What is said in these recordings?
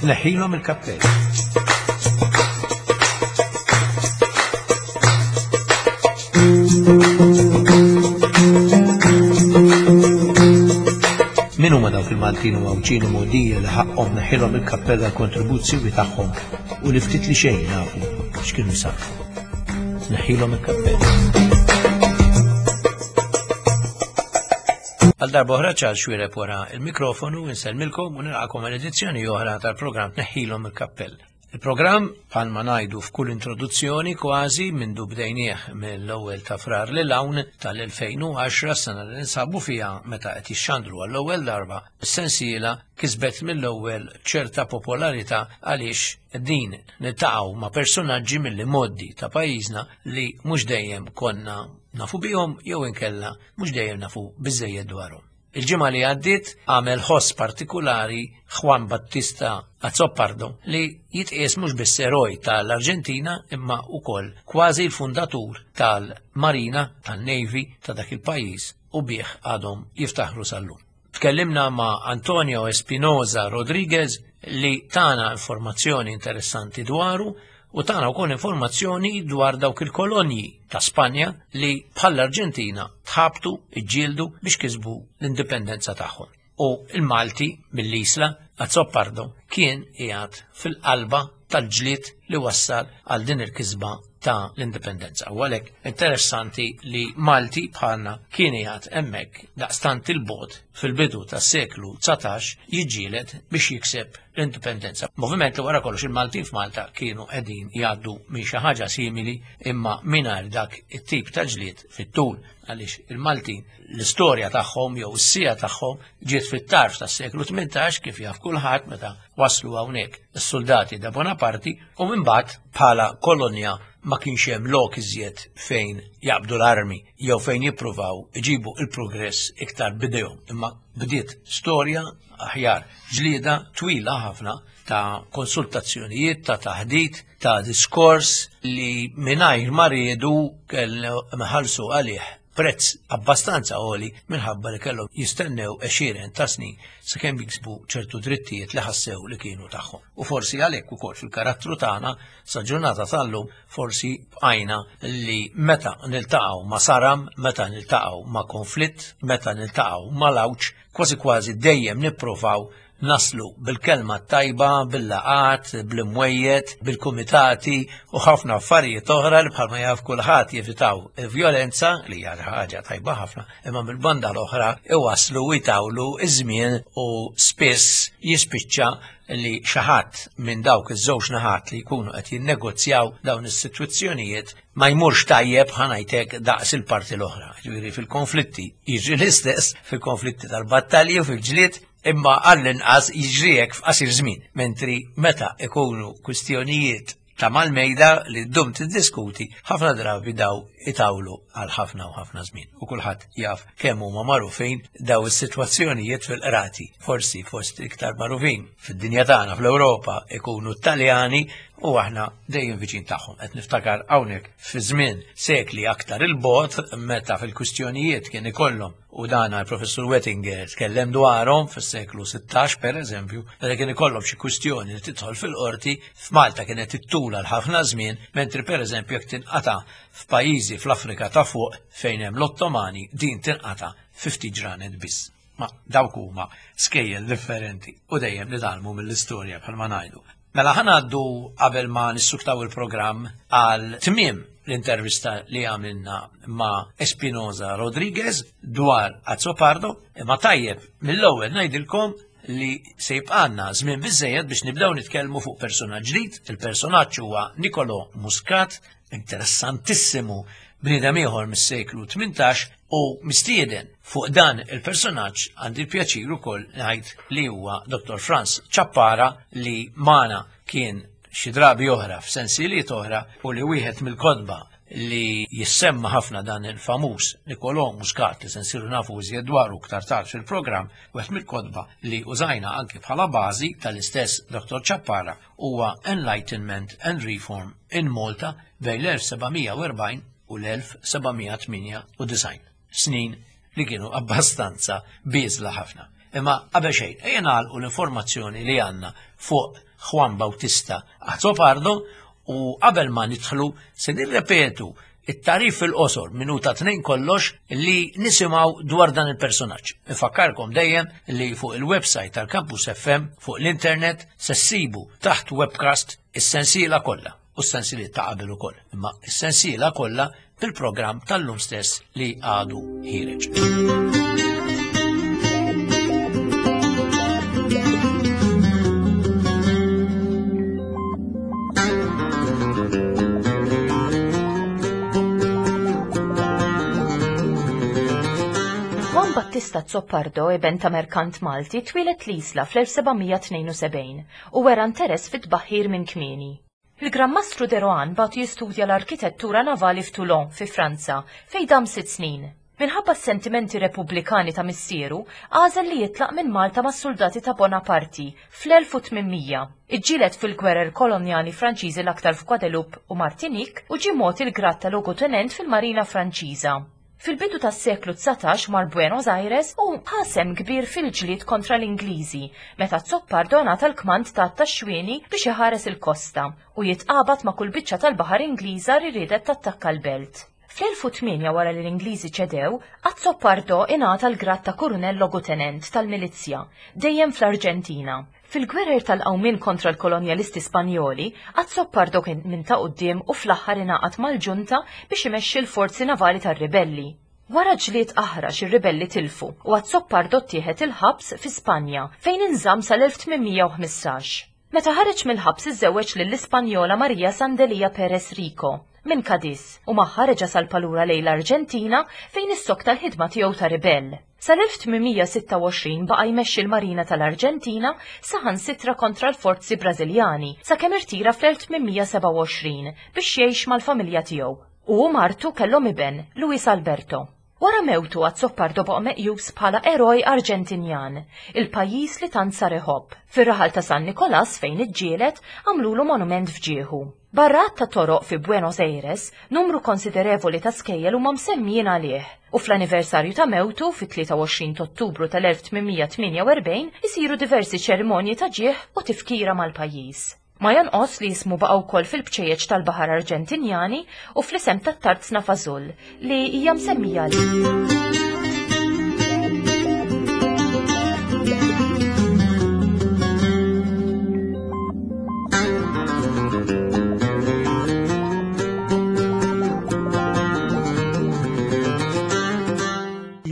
Tneħħilhom il-kappell. Min huma dawk il-Maltin u Għawdxin u Mogħdija li ħaqqhom neħħilhom il-kappell għall-kontribuzzjoni tagħhom u li ftit li xejn nafu x'kienu jsarfu. Neħħilhom il-kappell. Għal darba oħra ċar xwireb wara il-mikrofonu insellmilkom u nilqakom għal edizzjoni oħra tal-programm Tneħħilhom il-Kappell. Il-programm, bħalma ngħidu f'kull introduzzjoni kważi mindu bdejnieh mill-ewwel ta' Frar lil hawn tal-2010 sena li ninsabu fiha meta qed jixxandru għall-ewwel darba, is-sensiela kisbet mill-ewwel ċerta popolarità għaliex din niltaqgħu ma' personaġġi mill-imgħoddi ta' pajjiżna li mhux dejjem konna nafu bihom jew inkella mhux dejjem nafu biżejjed dwarhom. Il-ġimgħa li għaddiet għamel ħoss partikulari Juan Battista Azzopardo li jitqies mhux biss eroj tal-Arġentina imma wkoll kważi l-fundatur tal-Marina tan-Navy ta' dak il-pajjiż u bih għadhom jiftaħru sal-lum. Tkellimna ma' Antonio Espinoza Rodriguez li tana informazzjoni interessanti dwaru u tana wkoll informazzjoni dwar dawk il-kolonji ta' Spanja li bħall-Arġentina tħabtu, iġġieldu biex kisbu l-indipendenza tagħhom. U il-Malti mill-Isla Azzopardo kien qiegħed fil-qalba tal-ġlied li wassal għal din il-kisba ta' l-indipendenza. U għalhekk interessanti li Malti bħalna kien qiegħed hemmhekk daqstant il-bot fil-bidu tas-seklu 19 jiġġieled biex jikseb l-indipendenza. Moviment li wara kollox il-Maltin f'Malta kienu qegħdin jgħaddu minn xi ħaġa simili imma mingħajr dak it-tip ta' ġlied fit-tul għaliex il-Maltin l-istorja tagħhom jew is-sija tagħhom ġiet fit-tarf tas-seklu 18 kif jaf kulħadd meta waslu hawnhekk is-soldati da Bonaparti u imbagħad bħala kolonja ma kienx hemm lok iżjed fejn jaqbdu l-armi jew fejn jippruvaw iġibu il-progress iktar bidejhom. Imma bdiet storja aħjar ġlieda twila ħafna ta' konsultazzjonijiet, ta' taħdit, ta' diskors li mingħajr ma riedu kellhom ħallsu għalih prezz abbastanza għoli minħabba li kellhom jistennew għexieren ta' snin sakemm jiksbu ċertu drittijiet li ħassew li kienu tagħhom. U forsi għalhekk ukoll fil-karattru tagħna sa ġurnata tal-lum forsi bqajna li meta niltaqgħu ma' saram, meta niltaqgħu ma' konflitt, meta niltaqgħu ma' lawċ, kważi kważi dejjem nipprovaw naslu bil-kelma tajba, bil-laqat, bl-imwejjed, bil-kumitati u ħafna affarijiet oħra li bħalma jaf kulħadd jevitaw il-vjolenza li hija ħaġa tajba ħafna, imma mill-banda l-oħra iwaslu u jtawlu iż-żmien u spiss jispiċċa li xi ħadd minn dawk iż-żewġ naħat li jkunu qed jinnegozjaw dawn is-sitwazzjonijiet ma jmurx tajjeb ħanajtek daqs il-parti l-oħra. Ġifieri fil-konflitti jiġri l-istess, fil-konflitti tal-battalji u fil-ġlied, imma għall-inqas jiġri hekk f'qasir żmien, mentri meta ikunu kwistjonijiet ta' mal-mejda li ddum tiddiskuti, ħafna drabi daw itawlu għal ħafna u ħafna żmien. U kulħadd jaf kemm huma magħrufin daw is-sitwazzjonijiet fil-qrati. Forsi fost iktar magħrufin fid-dinja tagħna fl-Ewropa ikunu Taljani u aħna dejjem viċin tagħhom. Qed niftakar hawnhekk fi żmien sekli aktar il-bot meta fil-kwistjonijiet kien ikollhom u dan il-professur Wettinger tkellem dwarhom fis-seklu 16 per eżempju, meta kien ikollhom xi kwistjoni li tidħol fil-qorti f'Malta kienet ittul għal ħafna żmien, mentri per eżempju jekk tinqata' f'pajjiżi fl-Afrika ta' fuq fejn hemm l-Ottomani din tinqata' fi ftit ġranet biss. Ma dawk huma skejjel differenti u dejjem nitgħallmu mill-istorja bħalma ngħidu. Mela ħa ngħaddu qabel ma nissuktaw il-programm għal tmiem l-intervista li għamilna ma' Espinoza Rodriguez dwar Azzopardo, imma tajjeb mill-ewwel ngħidilkom li se jibqanna żmien biżejjed biex nibdew nitkellmu fuq personaġġ ġdid. Il-personaġġ huwa Nicolo Muscat, interessantissimu bniedem ieħor mis-seklu 18 u mistieden fuq dan il-personaġġ għandi l-pjaċir ukoll ngħid li huwa Dr. Franz Ciappara li magħna kien xi drabi oħra f'sensiliet oħra u li wieħed mill-kotba li jissemma ħafna dan il-famuż Nicolò Muscat li se nsiru nafu iżjed dwaru iktar tard fil-programm, wieħed mill-kotba li użajna anki bħala bażi tal-istess Dr. Ciappara huwa Enlightenment and Reform in Malta bejn l-1740 u l-1798, snin li kienu abbastanza bieżla ħafna. Imma qabel xejn, ejja nagħlqu l-informazzjoni li għandna fuq Juan Bautista Azzopardo u qabel ma nidħlu se nirrepetu it-tarif fil-qosor minuta tnejn kollox li nisimgħu dwar dan il-personaġġ. Infakkarkom dejjem li fuq il-website tal-Campus FM fuq l-internet se ssibu taħt webcast is-sensiela kollha u s-sensiliet ta' qabel ukoll, imma s-sensiela kollha bil-programm tal-lum stess li għadu ħireġ. Juan Battista Zoppardo, iben ta' merkant Malti, twieled l-Isla fl-1772 u wera interess fit-tbaħħir minn kmieni. Il-Gran Mastru de Rohan bagħtu jistudja l-arkitettura navali f'Toulon, fi Franza, fejn dam sitt snin. Minħabba s-sentimenti repubblikani ta' missieru, għażel li jitlaq minn Malta mas-suldati ta' Bonaparti fl-1800. Iġġieled fil-gwerer kolonjali Franċiżi l-aktar f'Guadeloupe u Martinique u ġie mogħti l-grad ta' logutenent fil-Marina Franċiża. Fil-bidu tas-seklu 19 mar Buenos Aires u ħa sehem kbir fil-ġlied kontra l-Ingliżi meta Zoppardo ngħata l-kmand ta' tax-xwieni biex iħares il-kosta u jitqabad ma' kull biċċa tal-baħar Ingliża li riedet tattakka l-belt. Fl-1008 wara li l-Ingliżi ċedew, Azzopardo ingħata l-grad ta' kurunell logutenent tal-milizzja, dejjem fl-Arġentina. Fil-gwerer tal-qawmien kontra l-kolonjalisti Spanjoli, Azzopardo kien minn ta' quddiem u fl-aħħar ingħaqad mal-ġunta biex imexxi l-forzi navali tar-ribelli. Wara ġlied aħrax ir-ribelli tilfu u Azzopardo ttieħed il-ħabs fi Spanja fejn inżamm sal-1815. Meta ħareġ mill-ħabs iżżewweġ lill-Ispanjola Maria Sandelia Perez Rico, minn Cadiz, u magħha reġa' salpa lura lejn l-Arġentina fejn issokta l-ħidma tiegħu ta' ribell. Sal-1826 baqa' jmexxi l-Marina tal-Arġentina saħansitra kontra l-forzi Brażiljani sakemm irtira fl-1827 biex jgħix mal-familja tiegħu. Hu u martu kellhom iben, Luis Alberto. Wara mewtu Azzopardo baqa' meqjus bħala eroj Arġentinjan, il-pajjiż li tant sar iħobb. Fir-raħal ta' San Nikolas fejn iġġieled, għamlulu monument f'ġieħu. Barra għadd ta' toroq fi Buenos Aires, numru konsiderevoli ta' skejjel huma msemmijin għalih, u fl-anniversarju ta' mewtu, fit-23 t'Ottubru tal-1848, isiru diversi ċerimonji ta' ġieħ u tifkira mal-pajjiż. Ma jonqos li ismu baqa' wkoll fil-bċejjeċ tal-baħar Arġentinjani u fl-isem tat-tarzna Fażul li hija msemmija għalih.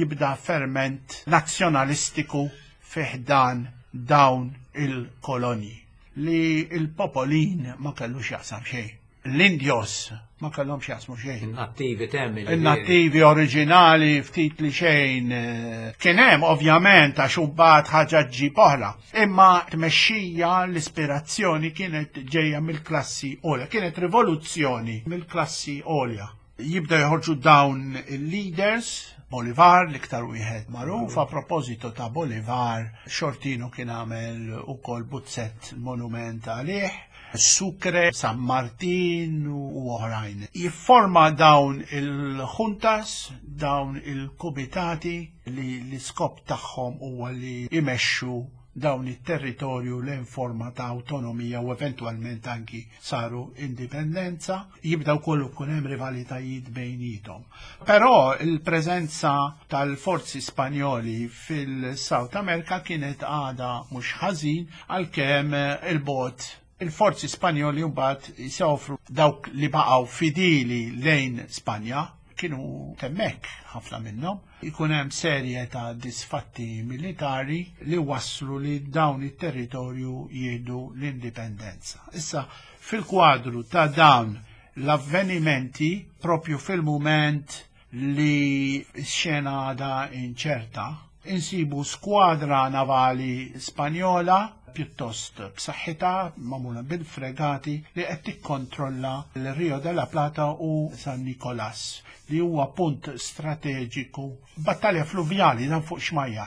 Jibda ferment nazzjonalistiku fi ħdan dawn il-kolonji. li l-popolin ma kellu x'jaqsam xejn. L-Indios ma kellhom x'jaqsmu xejn. In-nattivi temmi. In-nattivi oriġinali ftit li xejn. Eh, kien hemm ovvjament għax imbagħad ħaġa ġġib oħra. Imma tmexxija l-ispirazzjoni kienet ġejja mill-klassi għolja, kienet rivoluzzjoni mill-klassi għolja. Jibda joħorġu dawn il-leaders, Bolivar, l-iktar wieħed magħruf, a proposito ta' Bolivar, Xortino kien għamel ukoll buzzett monument għalih, Sucre, San Martin u oħrajn. Jifforma dawn il-juntas, dawn il-kumitati li l-iskop tagħhom huwa li jmexxu dawn it-territorju lejn forma ta' awtonomija u eventwalment anki saru indipendenza, jibda wkoll ikun hemm rivalitajiet bejnietom. Però il-preżenza tal-forzi Spanjoli fil-South America kienet għada mhux ħażin għalkemm il-bot il-forzi Spanjoli mbagħad jsofru dawk li baqgħu fidili lejn Spanja kienu temmek ħafna minnhom. Ikun hemm serje ta' disfatti militari li wasslu li dawn it-territorju jieħdu l-indipendenza. Issa, fil-kwadru ta' dawn l-avvenimenti, propju fil-mument li x-xena għadha inċerta, insibu skwadra navali Spanjola pjuttost b'saħħitha magħmula bil-fregati li qed tikkontrolla l-Rio de la Plata u San Nicolas li huwa punt strateġiku. Battalja fluvjali dan fuq xmajja.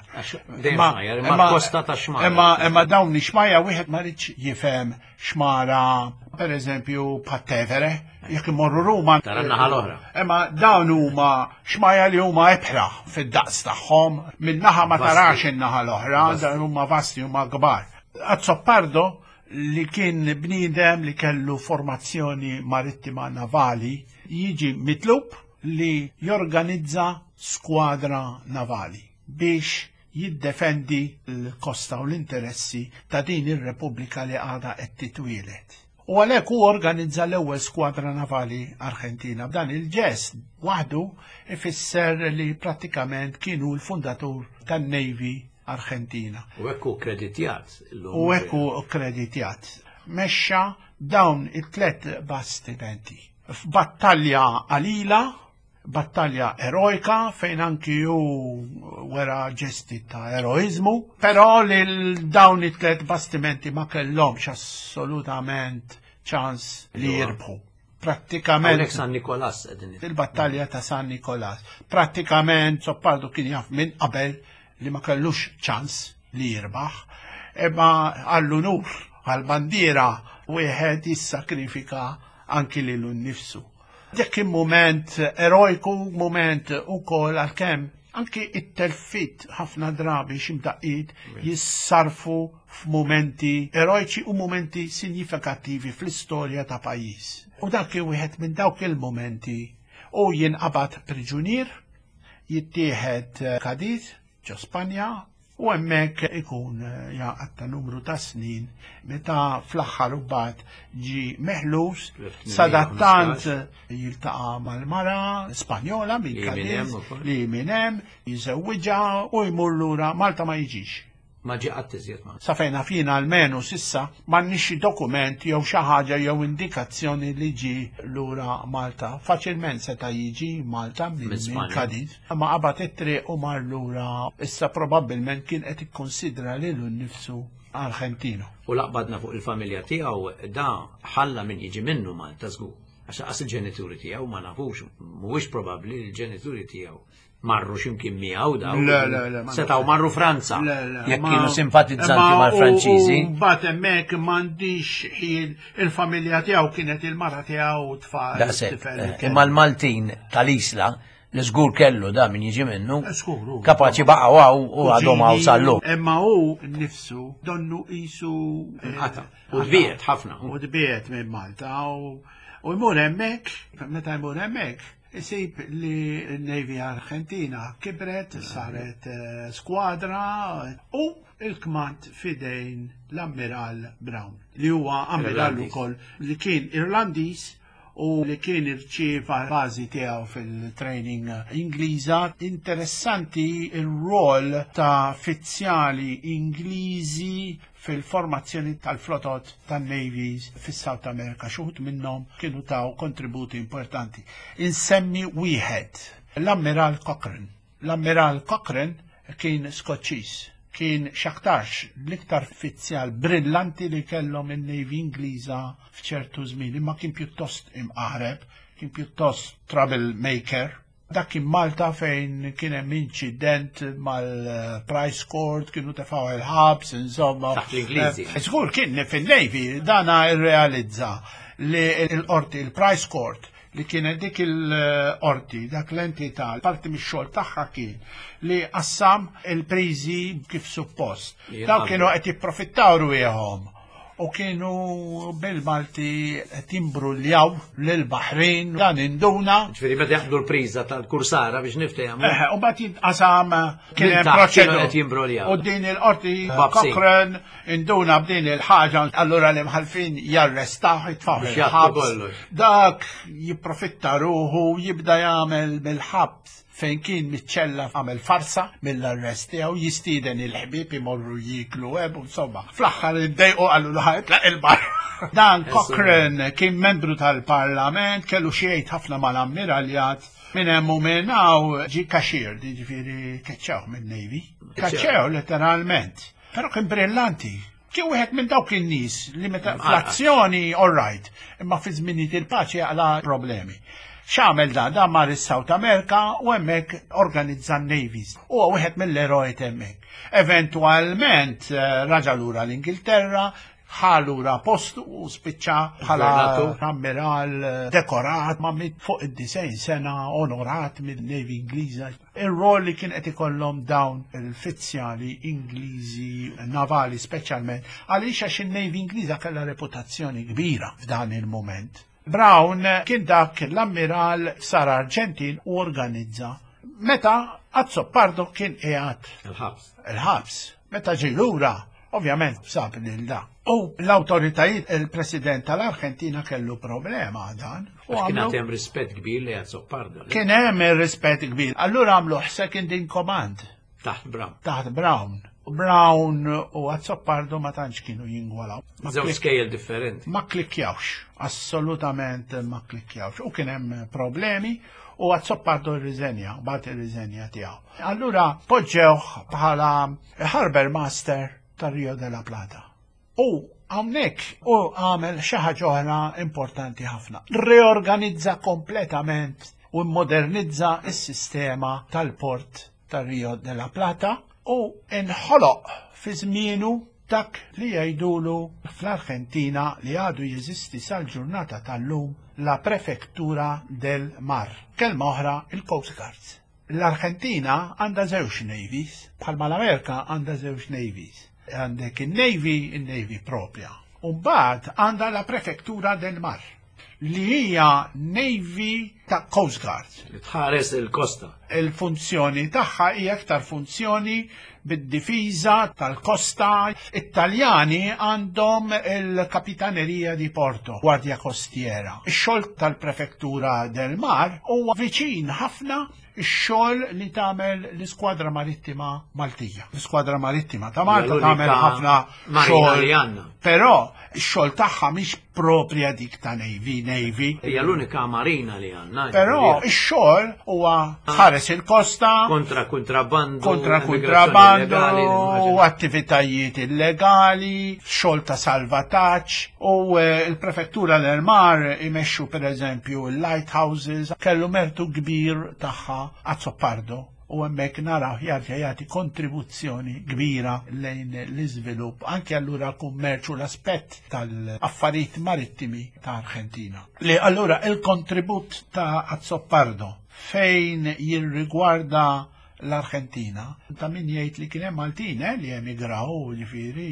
Imma kosta ta' xmajja. Imma dawn xmajja wieħed ma rridx jifhem xmara. per eżempju, Pattevere, jekk imorru Ruma. Tara naħa l-oħra. Imma dawn huma xmaja li huma ebħra fid-daqs tagħhom, minn naħa ma tarax in-naħa l-oħra, dawn huma vasti huma kbar. Azzopardo li kien bniedem li kellu formazzjoni marittima navali jiġi mitlub li jorganizza skwadra navali biex jiddefendi l-kosta u l-interessi ta' din ir-Repubblika li għadha qed titwieled. U għalhekk hu organizza l-ewwel skwadra navali Arġentina. B'dan il-ġest waħdu ifisser li prattikament kienu l-fundatur tan-Navy Arġentina. U hekk hu kreditjat. U hekk hu kreditjat. Mexxa dawn it-tlet bastimenti. F'battalja qalila battalja erojka fejn anki hu wera ġesti ta' eroizmu, però lil dawn it-tlet bastimenti ma kellhomx assolutament ċans li jirbħu. Prattikament. San Nikolas qegħdin. Il-battalja ta' San Nikolas. Prattikament Soppardu kien jaf minn qabel li ma kellux ċans li jirbaħ, imma għall-unur, għall-bandiera wieħed jissakrifika anki lilu nnifsu. Dak kien mument erojku, mument ukoll għalkemm anki it-telfit ħafna drabi x'imdaqqiet jissarfu f'mumenti erojċi u mumenti sinjifikattivi fl-istorja ta' pajjiż. U dak kien wieħed minn dawk il-mumenti u jinqabad priġunier, jittieħed Cadiz ġo Spanja u hemmhekk ikun eh, jaqatta numru ta' snin meta fl-aħħar mbagħad ġi meħlus sadattant jiltaqa' mal-mara Spanjola minn Cadiz li minn hemm jiżewwiġha u jmur lura Malta ma jiġix. Ma ġie qatt iżjed ma. Sa fejn naf jien almenu s'issa m'għandniex xi dokument jew xi ħaġa jew indikazzjoni li ġie lura Malta. Faċilment seta' jiġi Malta minn Cadiz, imma qabad it-triq u mar lura. Issa probabbilment kien qed ikkunsidra lilu nnifsu Argentino. U la qbadna fuq il-familja tiegħu da ħalla min jiġi minnu Malta żgur. Għax lanqas il-ġenituri tiegħu ma nafux, mhuwiex probabbli li l-ġenituri tiegħu marru ximkien miegħu daw. Le, le, le. Setgħu marru Franza. Jekk kienu simpatizzanti mal-Franċiżi. Mbagħad hemmhekk m'għandix ħin il-familja tiegħu kienet il-mara tiegħu u tfal. Eh, imma l-Maltin tal-Isla li żgur kellu da min jiġi minnu. Eh, kapaċi baqgħu hawn u għadhom hawn sal-lum. Imma hu nnifsu donnu qisu eh, U dbiet ħafna. U dbiet minn Malta u jmur hemmhekk, meta jmur hemmhekk, Isib li n-Navy Argentina kibret, saret eh, skwadra u il-kmand fidejn l-Ammiral Brown li huwa ammiral ukoll li kien Irlandiż u li kien irċieva bażi tiegħu fil-training Ingliża. Interessanti il-rol ta' fizzjali Ingliżi fil-formazzjoni tal-flotot tan-navies fis-South America, xi wħud minnhom kienu taw kontributi importanti. Insemmi wieħed, l-Ammiral Cochrane. L-Ammiral Cochrane kien Skoċċiż, kien x'aktarx l-iktar fizzjal brillanti li kellhom in-Navy Ingliża f'ċertu żmien, imma kien pjuttost imqaħreb, kien pjuttost trouble maker. Dak kien Malta fejn kien hemm inċident mal-Price Court, kienu tefgħu il-ħabs, insomma. Taħt l-Ingliżi. Eh, żgur kien fin-Navy dana rrealizza li l-qorti, il-Price Court, li kienet dik il-qorti, dak l-entità, parti mix-xogħol tagħha kien li qassam il-priżi kif suppost. Daw kienu qed jipprofittaw rwieħhom u kienu bil-Malti qed jimbruljaw lill-Baħrin dan induna. Ġifieri meta jaqbdu l-priża tal-kursara biex niftehmu. Eh, u mbagħad jitqasam kien hemm proċedura. U din il-qorti Cochrane induna b'din il-ħaġa, allura l-imħalfin jarrestaw jitfgħu il-ħabs. Dak jipprofitta ruħu jibda jagħmel mill-ħabs fejn kien miċ-ċella għamel farsa mill-arrest tiegħu jistieden il-ħbieb imorru jieklu hemm insomma. Fl-aħħar iddejqu qalu lu ħajtlaq il-bar. Dan Cochrane kien membru tal-Parlament, kellu xi jgħid ħafna mal-ammiraljat minn hemm u minn hawn ġie kaxir, jiġifieri keċċewh minn-Navy. Keċċewh letteralment. Però kien brillanti. Kien wieħed minn dawk in-nies li meta fl-azzjoni all right, imma fi żminijiet il-paċi jaqla problemi. X'għamel dan? Dan mar is-South America u hemmhekk organizza n-navies. Huwa wieħed mill-eroj hemmhekk. Eventwalment eh, raġa lura l-Ingilterra, Ħa lura postu u spiċċa bħala ammiral dekorat ma' mit fuq id-90 sena onorat mill-Navy Ingliża. Ir-rol li kien qed ikollhom dawn il-fizzjali Ingliżi navali speċjalment għaliex għax in-Navy Ingliża kellha reputazzjoni kbira f'dan il-mument. Brown kien dak l-ammiral sar Arġentin u organizza meta Azzopardo kien qiegħed il-ħabs. Il-ħabs. Meta ġie lura, ovvjament sab lil da. U l-awtoritajiet, il-President tal-Arġentina kellu problema dan. U kien hemm rispett kbir li Azzopardo. Kien hemm rispett kbir. Allura għamlu second in command. Taħt Brown. Taħt Brown. Brown u Azzopardo ma tantx kienu jingwalaw. Żewġ skejjel differenti. Ma klikkjawx, assolutament ma klikkjawx. U kien hemm problemi u Azzopardo rriżenja, bagħat ir-riżenja tiegħu. Allura poġġewh bħala Harbor Master tar Rio de la Plata. U hawnhekk u għamel xi ħaġa oħra importanti ħafna. Reorganizza kompletament u modernizza s-sistema tal-port tar Rio de la Plata u inħoloq fi żmienu dak li jgħidulu fl-Arġentina li għadu jeżisti sal-ġurnata tal-lum la Prefectura del Mar. Kelma oħra il-Coast Guards. L-Arġentina għandha żewġ navies, bħalma l-Amerika għandha żewġ navies. Għandek il-Navy, il-Navy propja. U mbagħad għandha la Prefectura del Mar li hija Navy ta' Coast Guard. Li tħares il-kosta. Il-funzjoni tagħha hija aktar funzjoni bid-difiża tal-kosta. It-Taljani għandhom il-Kapitanerija di Porto, Gwardja Kostiera. Ix-xogħol tal-Prefettura del Mar huwa viċin ħafna ix-xogħol li tagħmel l-Iskwadra Marittima Maltija. L-Iskwadra Marittima ta' Malta tagħmel ħafna xogħol. Però x-xogħol tagħha mhix propria dik ta' Navy, Navy. Hija l-unika marina li għandna. Però ix-xogħol huwa tħares il-kosta. Kontra kontrabandu. Kontra kontrabandu, u attivitajiet illegali, xogħol ta' salvataġġ u eh, l-prefettura l-Mar imexxu pereżempju l-lighthouses kellu mertu kbir tagħha Azzopardo u hemmhekk naraw jarġa' jagħti kontribuzzjoni kbira lejn l-iżvilupp anke allura kummerċ u l-aspett tal-affarijiet marittimi ta' Arġentina. Li allura il-kontribut ta' Azzopardo fejn jirrigwarda l-Arġentina. Ta' min jgħid li kien hemm Maltin eh, li emigraw, ġifieri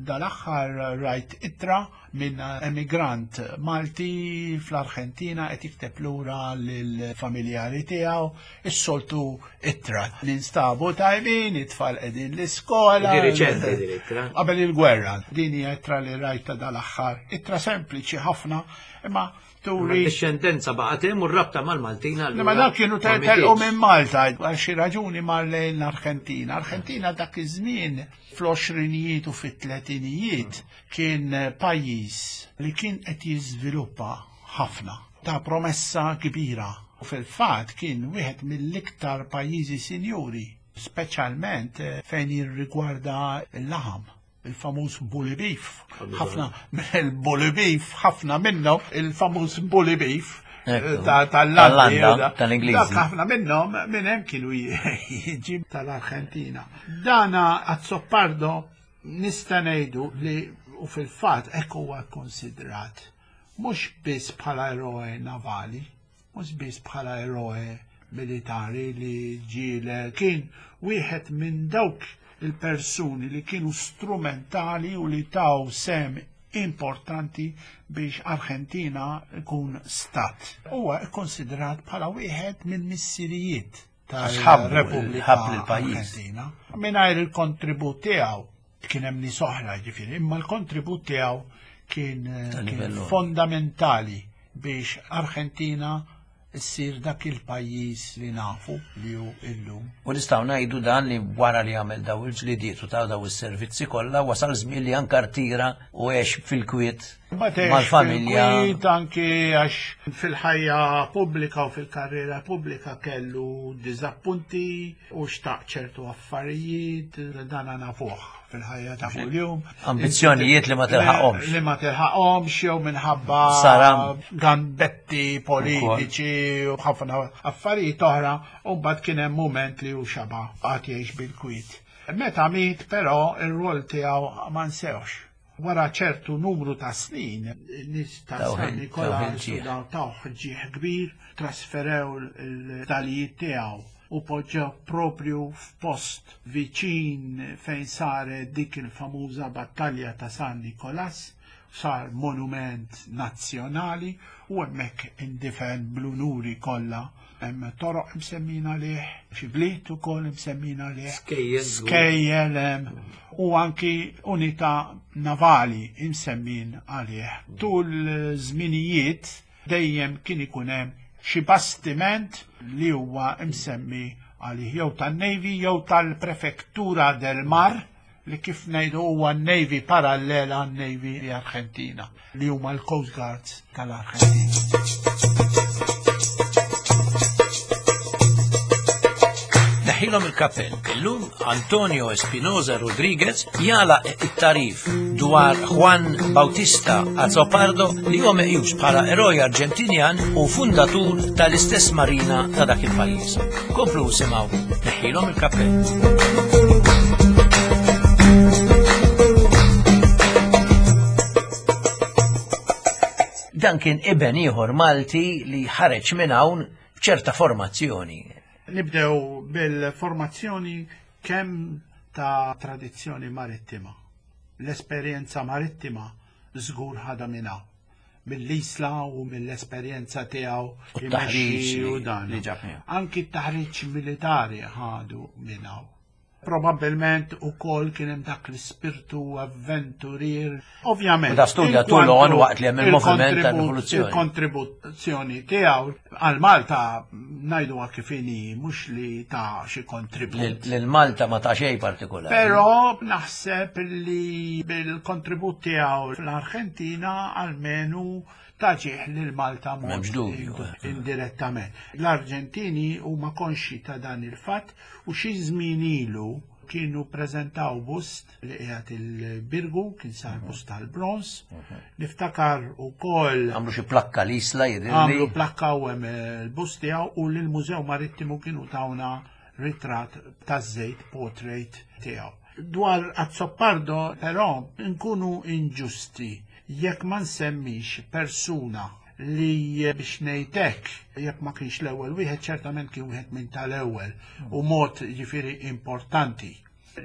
dal-aħħar rajt ittra minn emigrant Malti fl-Arġentina qed jikteb lura lill-familjari tiegħu is-soltu ittra. Ninstabu tajbin, it-tfal qegħdin l-iskola. Di riċenti din ittra. Qabel il-gwerra. Din hija ittra li rajta dal-aħħar. Ittra sempliċi ħafna, imma turi. Discendenza baqgħet hemm u r-rabta mal-Maltin allura. Ma dak kienu telqu minn Malta għal xi raġuni mar lejn l-Arġentina. Arġentina dak iż-żmien fl-għoxrinijiet u fit-tletinijiet kien pajjiż li kien qed jiżviluppa ħafna ta' promessa kbira u fil-fatt kien wieħed mill-iktar pajjiżi sinjuri, speċjalment fejn jirrigwarda l-laħam il-famuż bully beef. Ħafna il-bully beef, ħafna minnhom il-famuż bully beef eh, tal-Landa, tal-Ingliżi. Ħafna minnhom minn hemm kienu jiġi tal-Arġentina. Dana Azzopardo nista' ngħidu li u fil-fatt hekk huwa konsidrat mhux biss bħala eroe navali, mhux biss bħala eroe militari li ġiele kien wieħed minn dawk il-persuni li kienu strumentali u li taw sem importanti biex Argentina ikun stat. Huwa kkonsidrat bħala wieħed minn missirijiet tal-Repubblika Argentina. Mingħajr il-kontribut tiegħu kien hemm nies oħra ġifieri, imma l-kontribut tiegħu kien, kien fondamentali biex Argentina ssir dak il-pajjiż li nafu li hu illum. U nistgħu ngħidu dan li wara li għamel daw il-ġlidiet u ta' daw is-servizzi kollha wasal żmien li anke rtira u għex fil-kwiet mal-familja. Fil-kwiet anki għax fil-ħajja pubblika u fil-karriera pubblika kellu diżappunti u xtaq ċertu affarijiet dan nafuh fil-ħajja ta' kuljum. Ambizzjonijiet li ma tilħaqhomx. Li ma tilħaqhomx jew minħabba gambetti politiċi u ħafna affarijiet oħra u mbagħad kien hemm mument li hu xaba' qagħad jgħix bil-kwiet. Meta miet però ir-rwol tiegħu ma nsewx. Wara ċertu numru ta' snin, nies ta' San Nikola tawh ġieħ kbir, trasferew il-dalijiet tiegħu u poġġew propju f'post viċin fejn saret dik il-famuża battalja ta' San Nikolas, sar monument nazzjonali u hemmhekk indifen bl-unuri kollha. Hemm toroq msemmin għalih, xi bliet ukoll msemmin għalih. Skejjel. Skejjel hemm u anki unità navali msemmin għalih. Tul żminijiet dejjem kien ikun hemm xi bastiment li huwa msemmi għalih jew tan-Navy jew tal-Prefektura del Mar li kif ngħidu huwa Navy parallela għan-Navy Argentina li huma l-Coast Guards tal-Argentina. Neħilhom il-kappell. Illum Antonio Espinoza Rodriguez jala it-tarif dwar Juan Bautista Azopardo li huwa meqjus bħala eroj Arġentinjan u fundatur tal-istess marina ta' dak il-pajjiż. Komplu simgħu neħilhom il-kappell. Dan kien iben ieħor Malti li ħareġ minn hawn b'ċerta formazzjoni. Nibdew bil-formazzjoni kemm ta' tradizzjoni marittima. L-esperjenza marittima żgur ħadha minn hawn. Mill-Isla u mill-esperjenza tiegħu U t-taħriġ u dan. li ġab miegħu. Anki t-taħriġ militari ħadu minn hawn. Probabbilment ukoll kien hemm dak l-ispirtu avventurier. Ovvjament. U da studja in kwantu Toulon waqt li hemm il-moviment il-kontribut- tar-rivoluzzjoni. Il-kontribuzzjoni tiegħu għal Malta ngħiduha kif inhi mhux li ta' xi kontribut. Lil Malta ma ta' xejn partikolari. Però naħseb li bil-kontribut tiegħu fl-Arġentina almenu taġieħ lil Malta mod M'hemmx dubju. indirettament. L-Arġentini huma konxi ta' dan il-fatt u xi żmien ilu kienu preżentaw bust li qiegħed il-Birgu, kien sar bust tal-bronz. Niftakar ukoll Għamlu xi plakka l-isla jidhirli. għamlu plakka u hemm il-bust tiegħu u lill-Mużew Marittimu kienu tawna ritratt taż-żejt portrait tiegħu. Dwar Azzopardo però nkunu inġusti jekk ma nsemmix persuna li biex ngħidlek jekk ma kienx l-ewwel wieħed ċertament kien wieħed minn tal-ewwel u mod jiġifieri importanti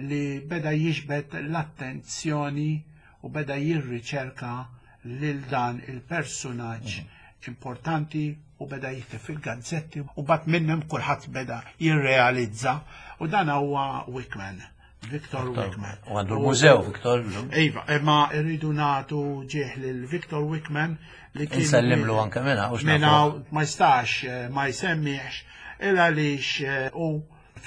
li beda jiġbed l-attenzjoni u beda jirriċerka lil dan il-personaġġ importanti u beda jikteb fil-gazzetti u bat minnhom kulħadd beda jirrealizza u dan huwa Wickman, Victor Wickman. U għandu l-mużew, Victor. Iva, imma rridu nagħtu ġieħ lil Victor Wickman li kien Insellimlu anke minn hawn, minn nafu. hawn ma jistax ma jsemmiex il għaliex u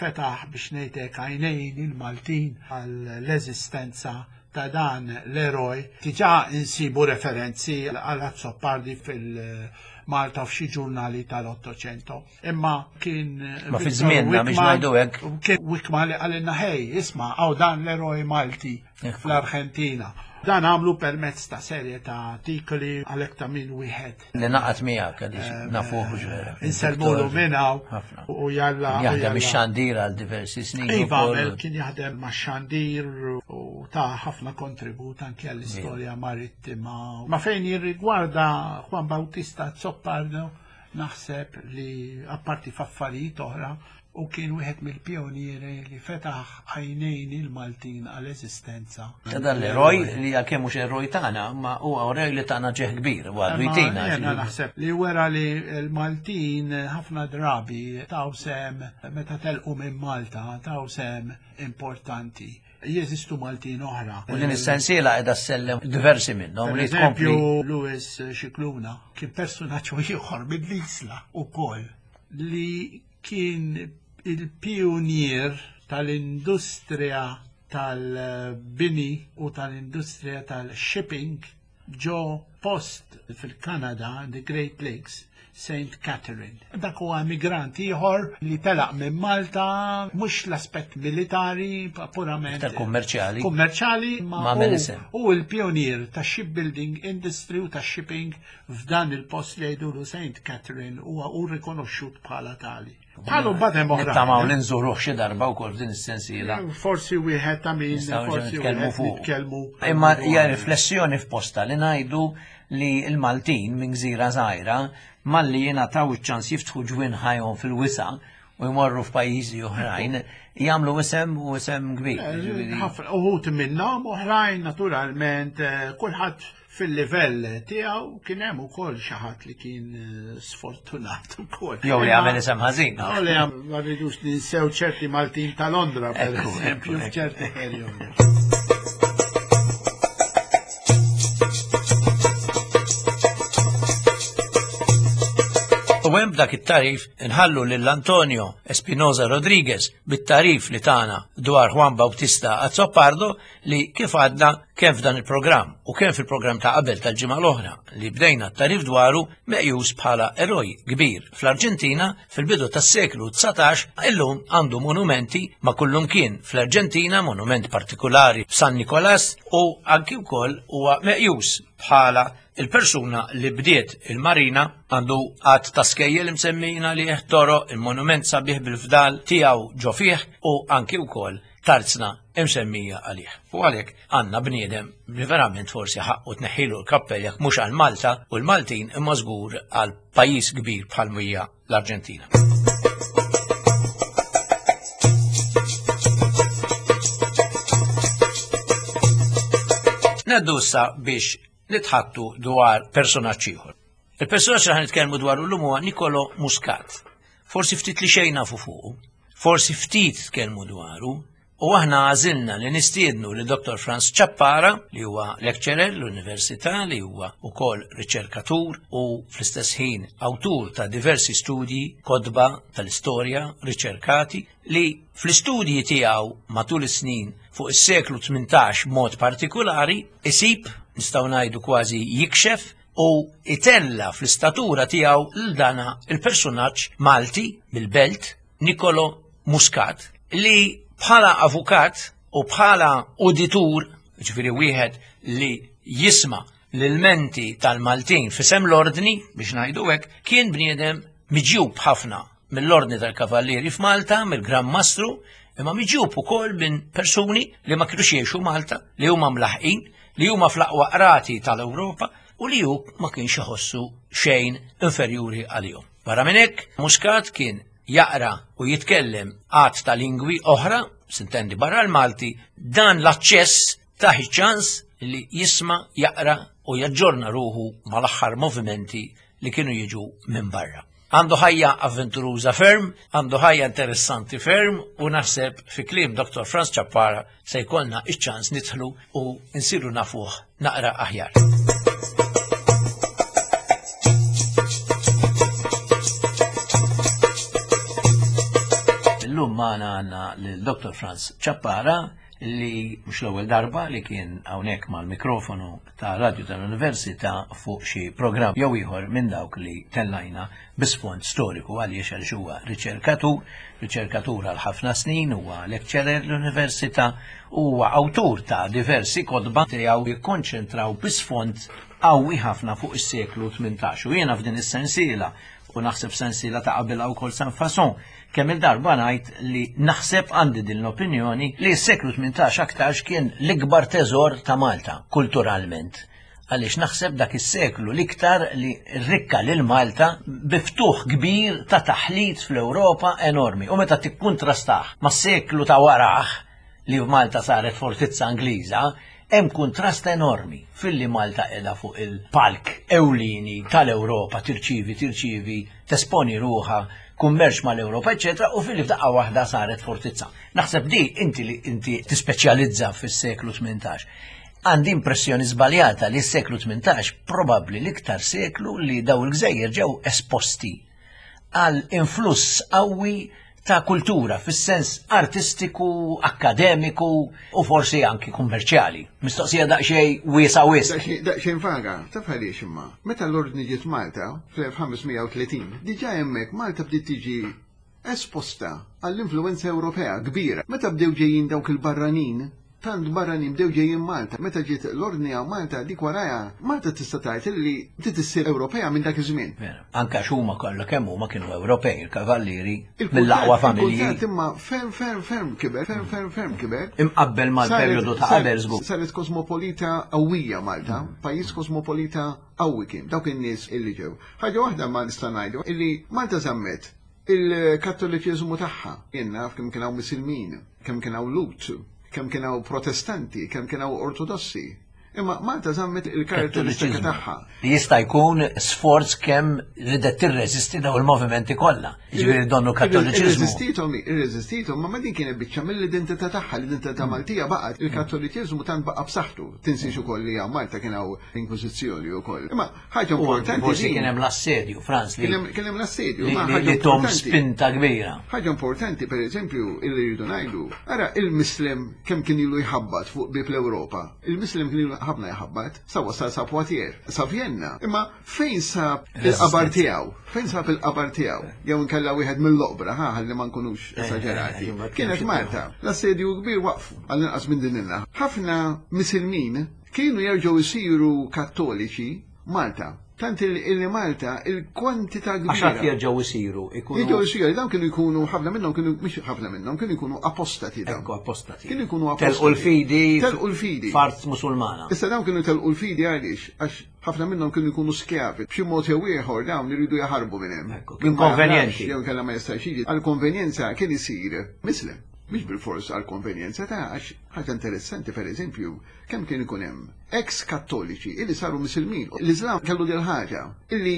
fetaħ biex ngħidlek għajnejn il-Maltin għall-eżistenza ta' dan l-eroj. Diġà insibu referenzi għal Azzopardi fil-Malta f'xi ġurnali tal-Ottocento. Imma kien Ma fi Victor żmienna biex Wickman- ngħidu hekk. Kien Wickman li qalilna ħej, isma' hawn dan l-eroj Malti fl-Arġentina. Dan għamlu permezz ta' serje ta' artikoli għalhekk ta' min wieħed. Li naqat miegħek għaliex nafuh ġvera. Insellmulu minn hawn Ħafna. u jalla. u Jaħdem jalla. ix-xandir għal diversi snin. Iva, ukoll. għamel kien jaħdem ma' xandir u ta' ħafna kontribut anke għall-istorja marittima. Ma fejn jirrigwarda Juan Bautista Azzopardo, naħseb li apparti f'affarijiet oħra u kien wieħed mill-pionieri li fetaħ għajnejn il-Maltin għall-eżistenza. Ta' dan l-eroj li għalkemm mhux eroj tagħna, ma huwa eroj li tagħna ġieħ kbir, u għadu Imma jtina. Jena naħseb li wera li l-Maltin ħafna drabi taw sem meta telqu minn Malta, taw sem importanti. Jeżistu Maltin oħra. U din is-sensiela qiegħda ssellem diversi minnhom Per li tkompli. eżempju, Louis Scicluna kien personaġġ ieħor mill-Isla ukoll li kien il-pionier tal-industrija tal-bini u tal-industrija tal-shipping ġo post fil-Kanada, the Great Lakes, St. Catherine. Dak huwa emigrant ieħor li telaq minn Malta, mhux l-aspett militari, purament Iktar kummerċjali. Kummerċjali, ma Ma għamel isem. u l-pionier ta' shipbuilding industry u ta' shipping f'dan il-post li jgħidulu St. Catherine huwa u rikonoxxut bħala tali. Bħalu mbagħad hemm oħra. Nittamaw li nżuruh xi darba wkoll f'din is-sensiela. Forsi wieħed ta' min forsi nitkellmu fuq. Nitkellmu. Imma hija riflessjoni f'posta li ngħidu li l-Maltin minn gżira żgħira malli jingħataw iċ-ċans jiftħu ġwinħajhom fil-wisa' u jmorru f'pajjiżi oħrajn, jagħmlu isem u isem kbir. Eh, ħafna uħut minnhom oħrajn naturalment eh, kulħadd fil-livell tiegħu kien hemm ukoll xi ħadd li kien eh, sfortunat ukoll. Jew li għamel isem ħażin. Jew li ma rridux ninsew ċerti Maltin ta' Londra per eżempju f'ċerti perjodi. U hemm b'dak it-tarif inħallu lil Antonio Espinosa Rodriguez bit-tarif li tana dwar Juan Bautista Azzopardo li kif għadna kemm f'dan il-programm u kemm fil-programm ta' qabel tal-ġimgħa l-oħra li bdejna t-tarif dwaru meqjus bħala eroj kbir fl-Arġentina fil-bidu tas-seklu 19 illum għandu monumenti ma' kullumkien fl-Arġentina, monument partikulari f'San Nikolas u anki wkoll huwa meqjus bħala Il-persuna li bdiet il-marina għandu għadd ta' skejjel imsemmijin għalih, toroq, il-monument sabiħ bil-fdal tiegħu ġo fih u anki wkoll tarzna imsemmija għalih. U għalhekk għandna bniedem li verament forsi ħaqqu tneħħilu l-kappell jekk mhux għal Malta u l-Maltin imma żgur għal pajjiż kbir bħal hija l-Arġentina. Neddu issa biex nitħattu dwar personaġġ ieħor. Il-personaġġ li ħanitkellmu dwaru llum huwa Nicolo Muscat. Forsi ftit li xejn nafu fuqu, forsi ftit tkellmu dwaru, u aħna għażilna li nistiednu li Dr. Franz Ciappara, li huwa lecturer l-Università, li huwa wkoll riċerkatur u fl-istess ħin awtur ta' diversi studji, kotba tal-istorja, riċerkati, li fl-istudji tiegħu matul is-snin fuq is-seklu 18 mod partikulari isib, nistgħu ngħidu kważi jikxef u itella fl-istatura tiegħu l dana il-persunaġġ Malti mill-Belt Nicolo Muscat li bħala avukat u bħala uditur, ġifieri wieħed li jisma' l-ilmenti tal-Maltin f'isem l-ordni biex ngħidu hekk, kien bniedem miġjub ħafna mill-Ordni tal-Kavallieri f'Malta, mill-Gran Mastru, imma miġjub ukoll minn persuni li ma kinux jgħixu Malta, li huma mlaħqin, li huma fl-aqwa qrati tal-Ewropa u li hu ma kienx iħossu xejn inferjuri għalihom. Barra minn hekk, Muscat kien jaqra u jitkellem għadd ta' lingwi oħra, sintendi barra l-Malti, dan l-aċċess tah iċ-ċans li jisma', jaqra u jaġġorna ruħu mal-aħħar movimenti li kienu jiġu minn barra. Għandu ħajja avventuruża ferm, għandu ħajja interessanti ferm u naħseb fi kliem Dr. Franz Ciappara se jkollna iċ-ċans nidħlu u nsiru nafuh naqra aħjar. Illum magħna għandna lil Dr. Franz Ciappara li mhux l-ewwel darba li kien hawnhekk mal-mikrofonu ta' Radio tal-Università fuq xi programm jew ieħor minn dawk li tellajna bi sfond storiku għaliex għaliex huwa riċerkatur, riċerkatur għal ħafna snin, huwa lecturer l-Università u huwa awtur ta' diversi kotba tiegħu jikkonċentraw bi sfond qawwi ħafna fuq is-seklu 18. U jiena f'din is-sensiela u naħseb sensiela ta' qabilha wkoll San Fason Kemm il-darba ngħid li naħseb għandi din l-opinjoni li s-seklu 18 aktarx kien l-ikbar teżor ta' Malta kulturalment. Għaliex naħseb dak is-seklu l-iktar li rrikka lil Malta bi ftuħ kbir ta' taħlit fl-Ewropa enormi. U meta tikkuntrastah mas-seklu ta' warah li f'Malta saret fortizza Ingliża, hemm kuntrast enormi filli Malta qiegħda fuq il-palk ewlieni tal-Ewropa tirċievi tirċievi tesponi ruħha kummerċ mal-Ewropa, eċetera, u filli f'daqqa waħda saret fortizza. Naħseb di inti li inti tispeċjalizza fis-seklu 18. Għandi impressjoni żbaljata li s-seklu 18 probabbli l-iktar seklu li daw il-gżejjer ġew esposti għal influss qawwi ta' kultura fis-sens artistiku, akkademiku u forsi anki kummerċjali. Mistoqsija daqsxejn wiesa' wisq. Daqsxejn vaga, taf għaliex imma. Meta l-Ordni ġiet Malta fl-1530, diġà hemmhekk Malta bdiet tiġi esposta għall-influwenza Ewropea kbira. Meta bdew ġejjin dawk il-barranin. Tant barranin bdew ġejjin Malta. Meta ġiet l-ordni hawn Malta, dik warajha, Malta tista' tgħid illi bdiet issir Ewropea minn dak iż-żmien. Vera. Anke għax huma kollha kemm huma kienu Ewropej, il-Kavallieri, mill-aqwa familji. Il-kultant imma ferm ferm ferm kiber, ferm ferm ferm kiber. Imqabbel mal-perjodu ta' qabel żgur. Saret kosmopolita qawwija Malta, pajjiż kosmopolita qawwi kien, dawk in-nies illi ġew. Ħaġa waħda ma nista' ngħidu illi Malta żammet il-Kattoliċiżmu tagħha. Jien naf kemm kien hawn Misilmin, kemm kien hawn Lhud, kemm kien hawn Protestanti, kemm kien hawn Ortodossi. Imma Malta żammet il-karatteristika tagħha. Li jista' jkun sforz kemm ridet tirreżisti daw il-movimenti kollha. Jiġifieri donnu Kattoliċiżmu. Irreżistithom, irreżistithom, ma ma din kienet biċċa mill-identità tagħha, l-identità Maltija baqgħet. Il-Kattoliċiżmu tant baqa' b'saħħtu. Tinsiex ukoll li hawn Malta kien hawn Inkwiżizzjoni wkoll. Imma ħaġa importanti. Forsi kien hemm l-assedju, Franz. Kien hemm l-assedju. Li tom spinta kbira. Ħaġa importanti, per eżempju, illi rridu ngħidu, ara il-Mislem kemm kien ilu jħabbat fuq bib l-Ewropa. Il-Mislem kien ilu ħafna jħabbat, sa wasal sa Poitiers, sa Vienna. Imma fejn sab il-qabar tiegħu? Fejn sab il-qabar tiegħu? Jew inkella wieħed mill-oqbra, ħa ħalli ma nkunux eh, esaġerati. Eh, eh, Kienet Malta. L-assedju kbir waqfu għall-inqas minn din il Ħafna Misilmin Kienu jerġgħu jsiru Kattoliċi Malta. Tant illi Malta il-kwantità kbira. Għax għad jerġgħu jsiru. Jerġgħu jsiru, dawn kienu jkunu ħafna minnhom kienu mhux ħafna minnhom kienu jkunu apostati dawn. Ekku apostati. Kienu jkunu apostati. Telqu l-fidi. Telqu l-fidi. F'art Musulmana. Issa dawn kienu telqu l-fidi għaliex? Għax ħafna minnhom kienu jkunu skjavi. B'xi mod jew ieħor dawn iridu jaħarbu minn hemm. Ekku, kien konvenjenti. Jew kellha ma jistax jiġi. Għall-konvenjenza kien isir Mislem. Mhux bilfors għall-konvenjenza ta' għax ħaġa interessanti pereżempju Kemm kien ikun hemm ex Kattoliċi illi saru Misilmin. L-Iżlam kellu dil ħaġa illi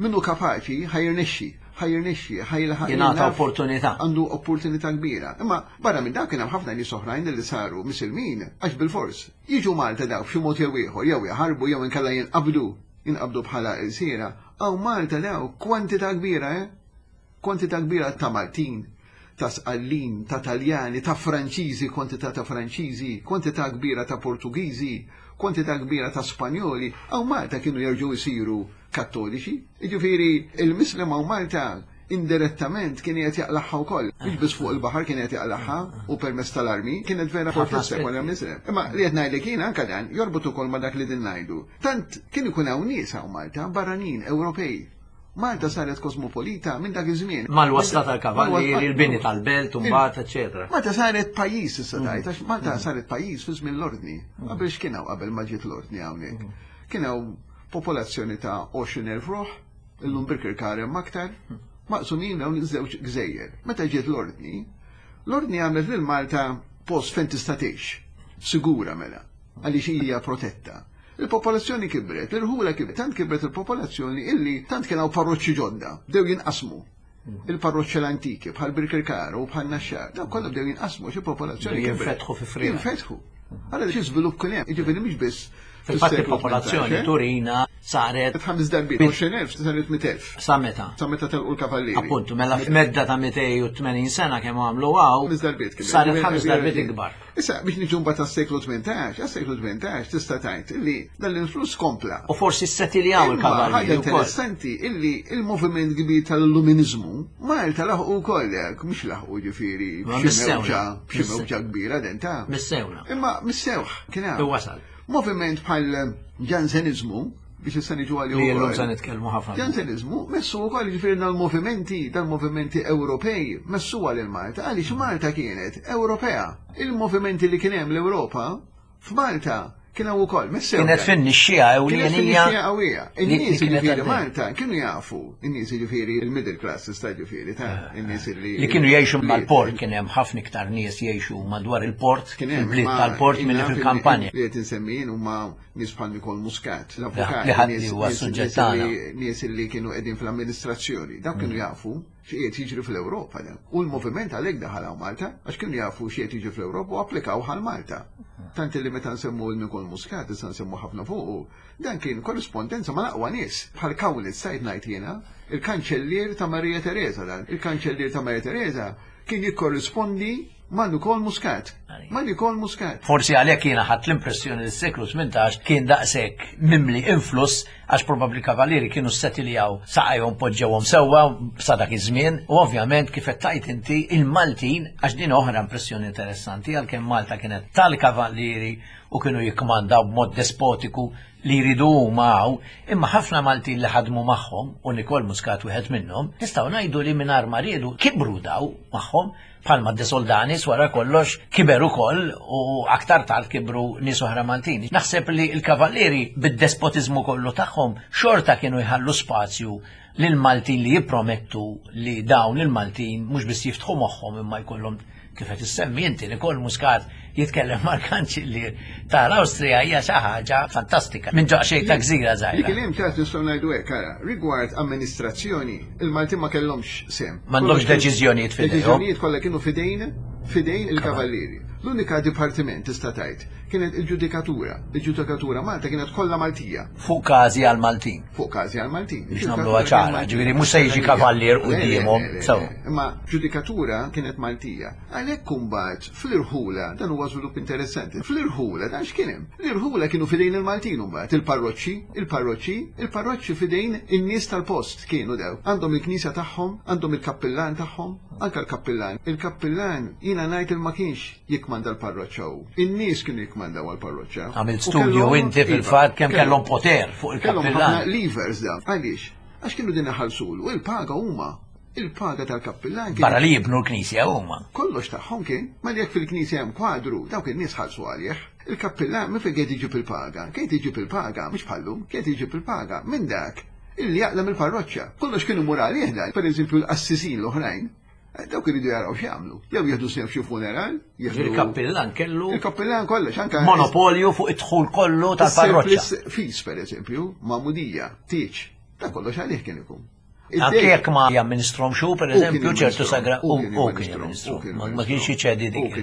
min hu kapaċi ħa jirnexxi, ħa jirnexxi, ħa jilħaq. Jingħata opportunità. Għandu opportunità kbira. Imma barra minn dak kien hemm ħafna nies oħrajn illi saru Misilmin għax bilfors jiġu Malta dawk b'xi mod jew ieħor, jew jaħarbu jew inkella jinqabdu, jinqabdu bħala ilsiera. Hawn Malta dawk kwantità kbira, eh? Kwantità kbira ta' Maltin, ta' Sqallin, ta' Taljani, ta' Franċiżi, kwantità ta' Franċiżi, kwantità kbira ta' Portugiżi, kwantità kbira ta' Spanjoli, hawn Malta kienu jerġgħu jsiru Kattoliċi. Jiġifieri il-Mislem hawn Malta indirettament kien qiegħed jaqlagħha wkoll. Mhux biss fuq il-baħar kien qiegħed jaqlagħha u permezz tal-armi, kienet vera fortizza kollha Mislem. Imma li qed ngħidlek jien anke dan jorbot ukoll ma' dak li din ngħidu. Tant kien ikun hawn nies hawn Malta, barranin, Ewropej, Malta saret kosmopolita minn dak iż-żmien. Mal-wasla tal-kavallieri, il-bini tal-belt, mbagħad, eċetera. Malta saret pajjiż issa tgħid, għax Malta mm. saret pajjiż fi żmien l-ordni. Mm. Qabel x'kien hawn qabel ma ġiet l-ordni hawnhekk. Mm. Kien hawn popolazzjoni ta' 20,000 ruħ, illum Birkirkar hemm aktar, maqsumin dawn iż-żewġ gżejjer. Meta ġiet l-ordni, l-ordni għamlet lil Malta post fejn tista' tgħix. Sigura mela, għaliex hija protetta. Il-popolazzjoni kibret, l-irħula kibret, tant kibret il-popolazzjoni illi tant kien hawn parroċċi ġodda, bdew jinqasmu. Il-parroċċi l-antiki bħal Birkirkara u bħal Naxxar, dawn kollha bdew jinqasmu xi popolazzjoni. Jinfetħu fi frieħ. Jinfetħu. Allora xi żvilupp kien hemm, jiġifieri mhux biss Fil-fatt il-popolazzjoni turina saret. Ħames darbiet, 20,000 saret 100,000. Sa meta? Sa meta telqu l-kavallieri. Appuntu, mela f'medda ta' 280 sena kemm għamlu għaw. Ħames darbiet kien. Saret ħames darbiet ikbar. Issa, biex niġu mbagħad għas-seklu 18, għas-seklu 18 tista' tgħid illi dan l-influss kompla. U forsi ssetiljaw il-kavallieri. Ħaġa interessanti illi il-moviment kbir tal-Illuminizmu Malta laħqu wkoll hekk, mhux laħqu ġifieri b'xi mewġa, b'xi mewġa kbira denta. Missewna. Imma missewh kien hemm. Wasal. Moviment bħal Ġanseniżmu, biex issa niġu għalih. Li llum se nitkellmu ħafna. Ġanseniżmu messu wkoll jiġifieri dal-movimenti, dal-movimenti Ewropej messuha lil Malta għaliex Malta kienet Ewropea. Il-movimenti li kien hemm l-Ewropa f'Malta kien hawn ukoll messew. Kienet fin-nixxija ewlienija. Kienet fin-nixxija qawwija. In-nies jiġifieri Malta kienu jafu, in-nies jiġifieri il-middle class tista' jiġifieri ta' eh, in-nies li. Li kienu jgħixu mal-port kien hemm ħafna iktar nies jgħixu madwar il-port, il-bliet tal-port milli fil-kampanja. Li qed insemmijin huma nies bħal Nikol Muscat, l-avukat, li ħadd li huwa suġġett tagħna. Nies li kienu qegħdin fl-amministrazzjoni, dawk kienu mm. jafu x'qiegħed jiġri fl-Ewropa dan. U l-moviment għalhekk daħal hawn Malta, għax kienu jafu x'qiegħed jiġri fl-Ewropa u applikaw għal Malta. Tant li meta nsemmu l Nikol Muscat, issa nsemmu ħafna fuqu, dan kien korrispondenza ma' l-aqwa nies, bħal Kaulitz sajt ngħid jiena, il-kanċellier ta' Maria Teresa dan. Il-kanċellier ta' Maria Teresa kien jikkorrispondi ma' Nikol Muscat. Ma' Nikol Muscat. Forsi għalhekk jiena ħadt l-impressjoni li s-seklu 18 kien daqshekk mimli influss għax probabbli kavallieri kienu ssetiljaw saqajhom poġġewhom sewwa sa dak iż-żmien u ovvjament kif qed tgħid inti il-Maltin għax din oħra impressjoni interessanti għalkemm Malta kienet tal-kavallieri u kienu jikkmandaw b'mod despotiku li jridu huma hawn, imma ħafna Maltin li ħadmu magħhom u Nikol Muscat wieħed minnhom, nistgħu ngħidu li mingħajr ma riedu kibru daw magħhom Bħalma De Soldanis wara kollox kiber ukoll u aktar tard kibru nies oħra Maltin. Naħseb li l-kavallieri bid-despotiżmu kollu tagħhom xorta kienu jħallu spazju lil Maltin li jippromettu li dawn il-Maltin mhux biss jiftħu moħħhom imma jkollhom kif qed issemmi inti Nikol Muscat jitkellem mal-kanċillier tal-Awstrija hija xi ħaġa fantastika. Minn ġaqxejn ta' gżira żgħira. Li kien hemm ċert nistgħu ngħidu hekk ara, rigward amministrazzjoni, il-Maltin ma kellhomx sehem. M'għandhomx deċiżjonijiet f'idejhom. Deċiżjonijiet kollha kienu f'idejn f'idejn il-kavallieri. L-unika dipartiment tista' tgħid kienet il-ġudikatura. Il-ġudikatura Malta kienet kollha Maltija. Fuq każi għal Maltin. Fuq każi għal Maltin. Biex nagħmluha ċara, ġifieri mhux se jiġi kavallier quddiemhom. Imma ġudikatura kienet Maltija. Għalhekk imbagħad fl-irħula dan huwa żvilupp interessanti. Fl-irħula dan x'kien hemm? L-irħula kienu f'idejn il-Maltin imbagħad, il-parroċċi, il-parroċċi, il-parroċċi f'idejn in-nies tal-post kienu dew. Għandhom il-knisja tagħhom, għandhom il-kappillan tagħhom, anke l-kappillan. Il-kappillan jiena ngħid il ma kienx jikmanda l-parroċċa hu. In-nies kienu jikmandaw għall-parroċċa. Għamilt studju inti iva, fil-fatt kemm kellhom poter fuq il-kappillan. Kellhom ħafna levers dawn. Għaliex? Għax kienu din iħallsulu il-paga huma il-paga tal-kappillan kien. Barra li jibnu l-knisja huma. Kollox tagħhom kien, ma jekk fil-knisja hemm kwadru, dawk in-nies ħallsu għalih. Il-kappillan minn fejn qiegħed iġib il-paga? Kien iġib il-paga, mhux bħallum, kien iġib il-paga minn dak illi jaqla' mill-parroċċa. Kollox kien imur għalih dan. Pereżempju l-qassisin l-oħrajn, Eh, dawk iridu jaraw x'jagħmlu. Jew jieħdu sehem f'xi funeral, Il-kappillan kellu. Il-kappillan kollox anke. Monopolju fuq id-dħul kollu tal-parroċċa. Fis pereżempju, magħmudija, tieġ, ta' kollox għalih kien ikun. Anke jekk ma jamministrom xu, per eżempju, ċertu sagra, u kien jamministru. Ma kienx iċedi dik.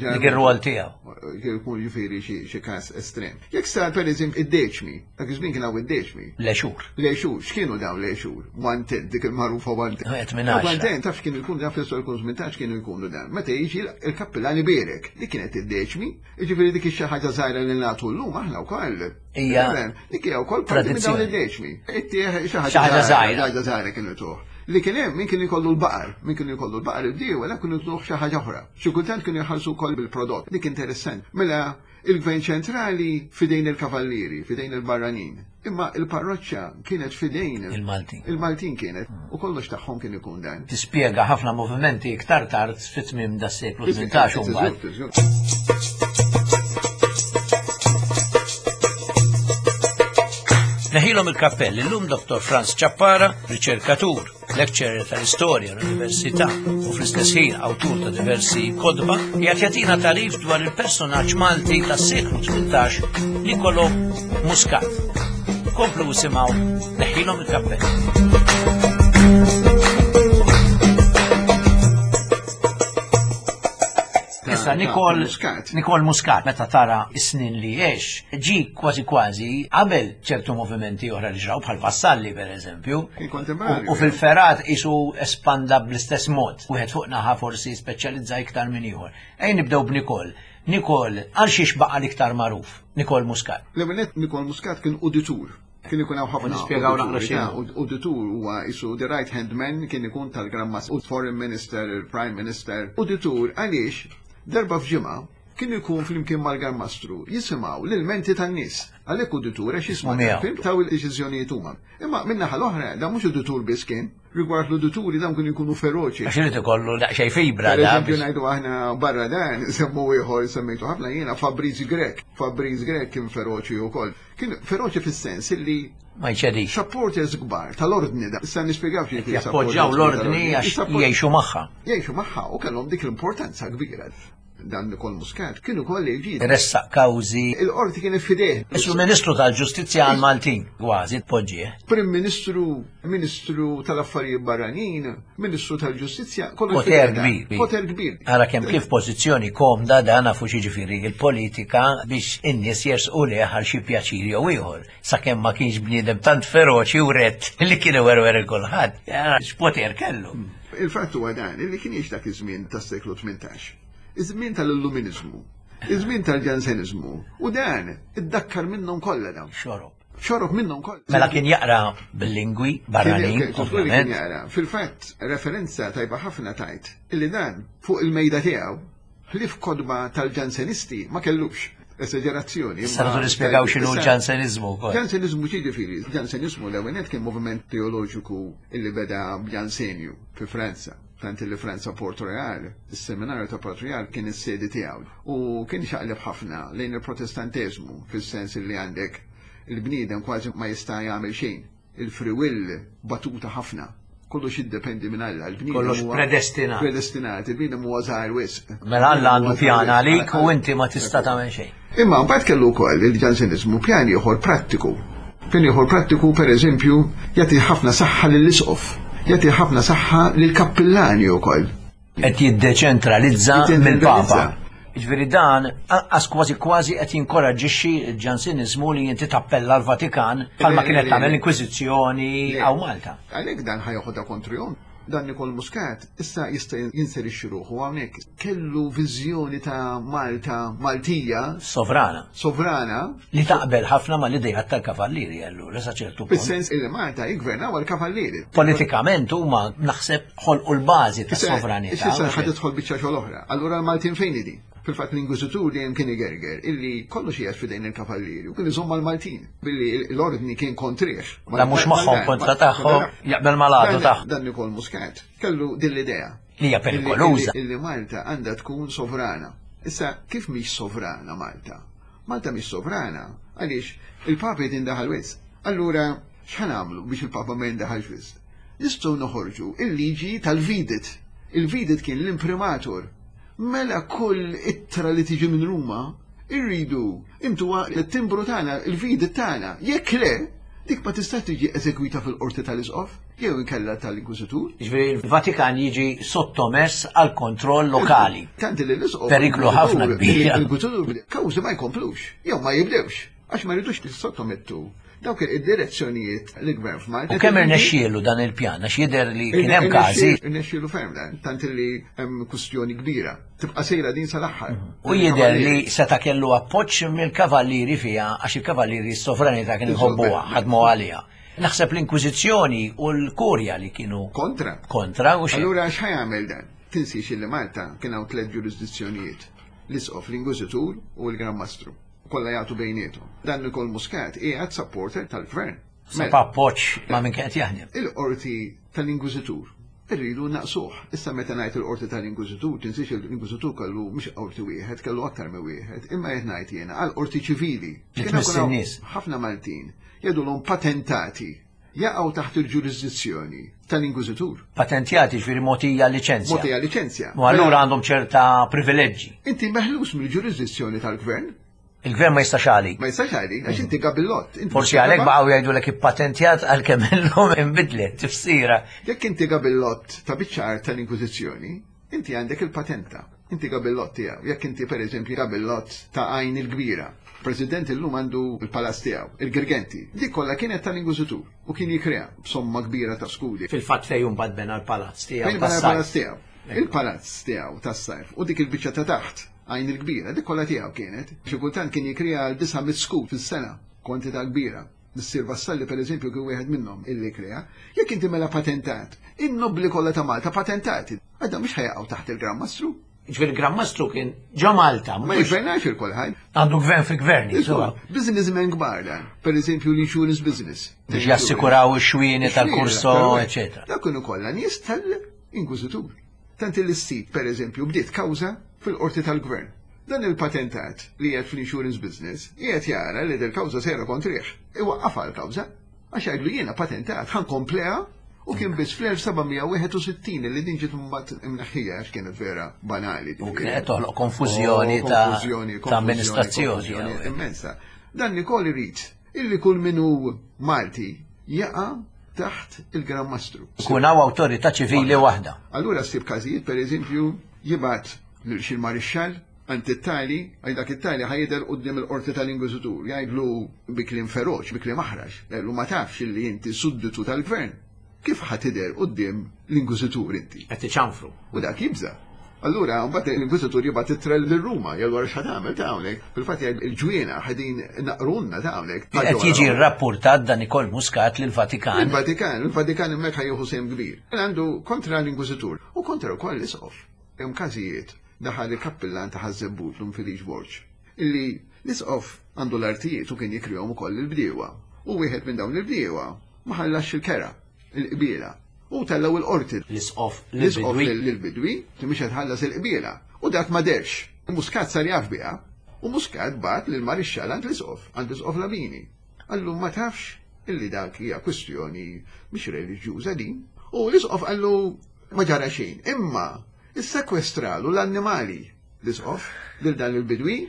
Dik ir-rwol tiegħu. Kien ikun ġifieri xi każ estrem. Jekk sar per eżempju id-deċmi, dak iż-żmien kien hawn id-deċmi. Lexur. Lexur, x'kienu dawn lexur? One ten, dik il-magħrufa one ten. Qed minn One ten, taf x'kienu jkunu taf jistgħu jkunu 18 kienu jkunu dan. Meta jiġi il-kappillan ibierek, dik kienet id-deċmi, jiġifieri dik xi ħaġa żgħira li nagħtu llum aħna wkoll. Hija. Dik hija wkoll parti minn dawn id-deċmi. Ittieħ xi ħaġa żgħira. Ħaġa żgħira kienu tuħ. Li kien hemm min kien ikollu l-baqar, min kien ikollu l-baqar id-diewa, kienu tuħ xi ħaġa oħra. Xi kultant kienu jħallsu wkoll bil-prodott. Dik interessant. Mela Il-gvern ċentrali f'idejn il-kavallieri, f'idejn il-barranin. Imma il-parroċċa kienet f'idejn il-Maltin. Il-Maltin kienet u kollox tagħhom kien ikun dan. Tispjega ħafna movimenti iktar tard fit-tmiem das-seklu 18 u mbagħad. Neħilhom il-kappell illum Dr. Franz Ciappara, riċerkatur, lecturer tal-istorja l-Università u fl-istess ħin awtur ta' diversi kotba, qiegħed jagħtina tagħrif dwar il-personaġġ Malti tas-seklu 18 Nicolo Muscat. Komplu isimgħu neħilhom il-kappell. Issa Nikol Nikol Muscat meta tara s-snin li għex, ġi kważi kważi qabel ċertu movimenti oħra li ġraw bħal Vassalli per eżempju. U fil-ferat isu espanda bl-istess mod. Wieħed fuq naħa forsi speċjalizza iktar minn ieħor. Ejn nibdew b'Nikol. Nikol għal xiex baqa' l-iktar magħruf? Nikol Muscat. L-ewwel Nikol Muscat kien uditur. Kien ikun hawn ħafna. Nispjegaw naqra xi. Uditur huwa isu the right hand man kien ikun tal-Gran Mas u Foreign Minister, il-Prime Minister. Uditur għaliex darba f'ġimgħa kien ikun flimkien mal-Gran Mastru jisimgħu l-ilmenti tan-nies. Għalhekk uditur għax jisma' taw il-deċiżjonijiet huma. Imma min-naħa l-oħra dan mhux uditur biss kien. Rigward l-udituri dawn kienu jkunu feroċi. Għax irid ikollu daqsxejn fibra. Per eżempju ngħidu aħna barra dan, semmu ieħor semmejtu ħafna jiena Fabriz Grek. Fabriz Grek kien feroċi wkoll. Kien feroċi fis-sens illi ma jċedix. Supporters kbar tal-ordni da. Issa nispjegaw xi Jappoġġjaw l-ordni għax jgħixu magħha. Jgħixu magħha u kellhom dik l-importanza kbira. Dan Nikol Muscat kien ukoll il-ġid. Ressaq kawżi. Il-qorti kienet fideh. Isu Ministru tal-Ġustizzja għal Maltin, kważi tpoġġih. Prim Ministru, Ministru tal-Affarijiet Barranin, Ministru tal-Ġustizzja, kollox Poter kbir. Poter kbir. Ara kemm kif pożizzjoni komda dan nafu x'jiġifieri il-politika biex in-nies jersqu lejh għal xi pjaċir jew ieħor. Sakemm ma kienx bniedem tant feroċi u rett li kien iwerwer il kulħadd. X'poter kellu. Il-fatt huwa dan, li kien jgħix dak iż-żmien tas-seklu 18. Iż-żmien tal-Illuminizmu, iż-żmien tal-Ġanseniżmu, u dan iddakkar minnhom kollha dawn. Xorob. Xorob minnhom kollha. Mela kien jaqra bil-lingwi barranin, ovvjament. Kien jaqra. Fil-fatt, referenza tajba ħafna tajt illi dan fuq il-mejda tiegħu ħlief kotba tal-Ġansenisti ma kellux. Esagerazzjoni. Issa rridu nispjegaw x'inhu l-Ġanseniżmu wkoll. Ġanseniżmu ġifieri, Ġanseniżmu l-ewwel kien moviment teoloġiku illi beda b'Ġansenju fi Franza. Tant li Franza Port Royal, is-seminarju ta' Port Royal kien is-sedi tiegħu u kien xaqleb ħafna lejn il-Protestanteżmu fis-sens li għandek il-bniedem kważi ma jista' jagħmel xejn. Il-free will batuta ħafna. Kollox jiddependi minn Alla. Il-bniedem Kollox predestinat. Predestinat, il-bniedem huwa żgħir wisq. Mela Alla għandu pjan għalik u inti ma tista' tagħmel xejn. Imma mbagħad kellu wkoll il-Ġanseniżmu pjan ieħor prattiku. Pjan ieħor prattiku pereżempju jagħti ħafna saħħa lill-isqof, jagħti ħafna saħħa lill-kappillani wkoll. Qed jiddeċentralizza mill-Papa. Jiġifieri dan anqas kważi kważi qed jinkoraġġixxi l-Ġanseniżmu li inti tappella l-Vatikan bħalma kienet tagħmel l-Inkwiżizzjoni hawn Malta. Għalhekk dan ħa joħodha kontrihom. Dan Nikol Muscat issa jista' jinserixxi ruħu hawnhekk. Kellu viżjoni ta' Malta Maltija. Sovrana. Sovrana. Li taqbel ħafna mal-ideat tal-Kavallieri allura sa ċertu punt. Fis-sens li Malta jiggvernaw għall-Kavallieri. Politikament huma naħseb ħolqu l-bażi tas-sovranità. Issa ħa tidħol biċċa xogħol oħra. Allura l-Maltin fejn hi din? Fil-fatt l-Inkwiżitur dejjem kien igerger illi kollox qiegħed f'idejn il-Kavallieri u kien iżomm mal-Maltin billi l-ordni kien kontrih. La mhux magħhom kontra tagħhom, jaqbel mal-għadu tagħhom. Dan Nikol Muscat kellu din l-idea. Li hija perikoluża. Illi Malta għandha tkun sovrana. Issa kif mhix sovrana Malta? Malta mhix sovrana għaliex il-Papa qed jindaħal wisq. Allura x'ħa nagħmlu biex il-Papa ma jindaħalx wisq? Nistgħu noħorġu il-liġi tal-Vidit. Il-Vidit kien l-imprimatur Mela kull ittra li tiġi minn Ruma irridu intuha t-timbru tagħna, il-vidi tagħna. Jekk le, dik ma tistax tiġi eżegwita fil-qorti tal-isqof jew inkella tal-inkwiżitur. Jiġifieri l-Vatikan jiġi sottomess għal kontroll lokali. Tant li l-isqof. Periklu ħafna kbir. L-inkwiżitur kawżi ma jkomplux jew ma jibdewx għax ma jridux jissottomettu dawk id-direzzjonijiet li gvern f'Malta. U kemm irnexxielu dan il-pjan għax jidher li kien hemm każi. Irnexxielu ferm dan, tant li hemm kwistjoni kbira. Tibqa' sejra din sal-aħħar. U jidher li seta' kellu appoġġ mill-kavallieri fiha għax il-kavallieri s-sovranità kienu jħobbuha, ħadmu għaliha. Naħseb l-Inkwiżizzjoni u l-Kurja li kienu kontra. Kontra u xejn. Allura x'ħa jagħmel dan? Tinsiex li Malta kien hawn tliet ġurisdizzjonijiet, l-Isqof, l-Inkwiżitur u l-Gran Mastru. Kollha jagħtu bejniethom. Dan Nikol Muscat qiegħed supporter tal-gvern. Sab appoġġ ma' min kien qed jaħdem. Il-qorti tal-Inkwiżitur irridu naqsuh. Issa meta ngħid il-qorti tal-Inkwiżitur, tinsiex il-Inkwiżitur kellu mhux qorti wieħed, kellu aktar minn wieħed, imma qed ngħid jiena għal qorti ċivili. Li tmiss in-nies. Ħafna Maltin jgħidulhom patentati jaqgħu taħt il-ġurisdizzjoni tal-Inkwiżitur. Patentjati ġifieri mogħtija liċenzja. Mogħtija liċenzja. U allura għandhom ċerta privileġġi. Inti meħlus mill-ġurisdizzjoni tal-gvern. Il-gvern ma jistax għalik. Ma jistax għalik, għax inti gabillott. Forsi għalhekk baqgħu jgħidulek ippatentjat għalkemm illum inbidlet tifsira. Jekk inti gabillott ta' biċċa art tal-Inkwiżizzjoni, Inti għandek il-patenta. Inti gabillott tiegħu. Jekk inti pereżempju gabillott ta' Għajn il-Kbira. President illum għandu l-palazz tiegħu, il-Girgenti. Dik kollha kienet tal-Inkwiżitur u kien jikriha b'somma kbira ta' skudi. Fil-fatt fejn imbagħad bena l-palazz tiegħu. Fejn bena l-palazz tiegħu. Il-palazz tiegħu tas-sajf u dik il-biċċa ta' taħt, Għajn il-Kbira, dik kollha tiegħu kienet. Xi kultant kien jikriha għal 900 skud fis-sena, kwantità kbira. Missier Vassalli pereżempju kien wieħed minnhom illi krea. Jekk inti mela patentat, in-nobbli kollha ta' Malta patentati, għadha mhux ħa jaqgħu taħt il-Gran Mastru. Jiġifieri il-Gran Mastru kien ġo Malta. Ma jiggvernax il kulħadd. Għandu gvern fi gvern, insomma. Businessmen kbar dan. Pereżempju l-insurance business. Biex jassikuraw ix-xwieni tal-kurso, eċetera. Dak kienu kollha nies tal-Inkwiżitur. Tant illi s-sid, pereżempju, bdiet kawża fil-qorti tal-gvern. Dan il-patentat li qiegħed fl-insurance business qiegħed jara li dil-kawża sejra kontrih. Iwaqqafha l-kawża. Għax jgħidlu jiena patentat, ħa nkompleha u kien biss fl-1761 li din ġiet mbagħad imneħħija għax kienet vera banali. U kienet qed toħloq konfużjoni ta' amministrazzjoni. Immensa. Dan Nikol irid illi kull min hu Malti jaqa' taħt il-Gran Mastru. Ikun hawn awtorità ċivili waħda. Allura ssib każijiet pereżempju jibgħat lil xi marixxall għand it-tali, għal dak it-tali ħa jidher quddiem il-qorti tal-Inkwiżitur, jgħidlu bi kliem feroċ, bi kliem aħrax, jgħidlu ma tafx illi inti sudditu tal-gvern. Kif ħa tidher quddiem l-Inkwiżitur inti? Qed iċanfru. U dak jibża'. Allura, mbagħad l-Inkwiżitur jibgħat ittra lil Ruma, jgħidu wara x'ħa tagħmel ta' hawnhekk. Fil-fatt jgħid il-ġwiena ħedin naqrunna ta' hawnhekk. Qed jiġi rrappurtat dan Nikol Muscat lill-Vatikan. Il-Vatikan, il-Vatikan hemmhekk ħa jieħu sehem kbir. Għandu kontra l-Inkwiżitur u kontra wkoll l-Isqof. Hemm każijiet daħal il-kappillan ta' Ħaż-Żebbuġ Dun Feliċ Borg illi l-Isqof għandu l-artijiet u kien jikrihom ukoll lill-bdiewa. U wieħed minn dawn il-bdiewa ma ħallasx il-kera, il-qbiela. U tellgħu il-qorti. L-Isqof L-Isqof lill-bidwi, li mhux qed tħallas il-qbiela. U dak ma dehrx. Muscat sar jaf biha. U Muscat bagħat lill-Marixxall għand l-Isqof, għand l-Isqof Labini. Qallu ma tafx illi dak hija kwistjoni mhix reliġjuża din. U l-Isqof qallu ma ġara xejn. Imma issekwestralu l-annimali l-Isqof lil dan il-bidwi.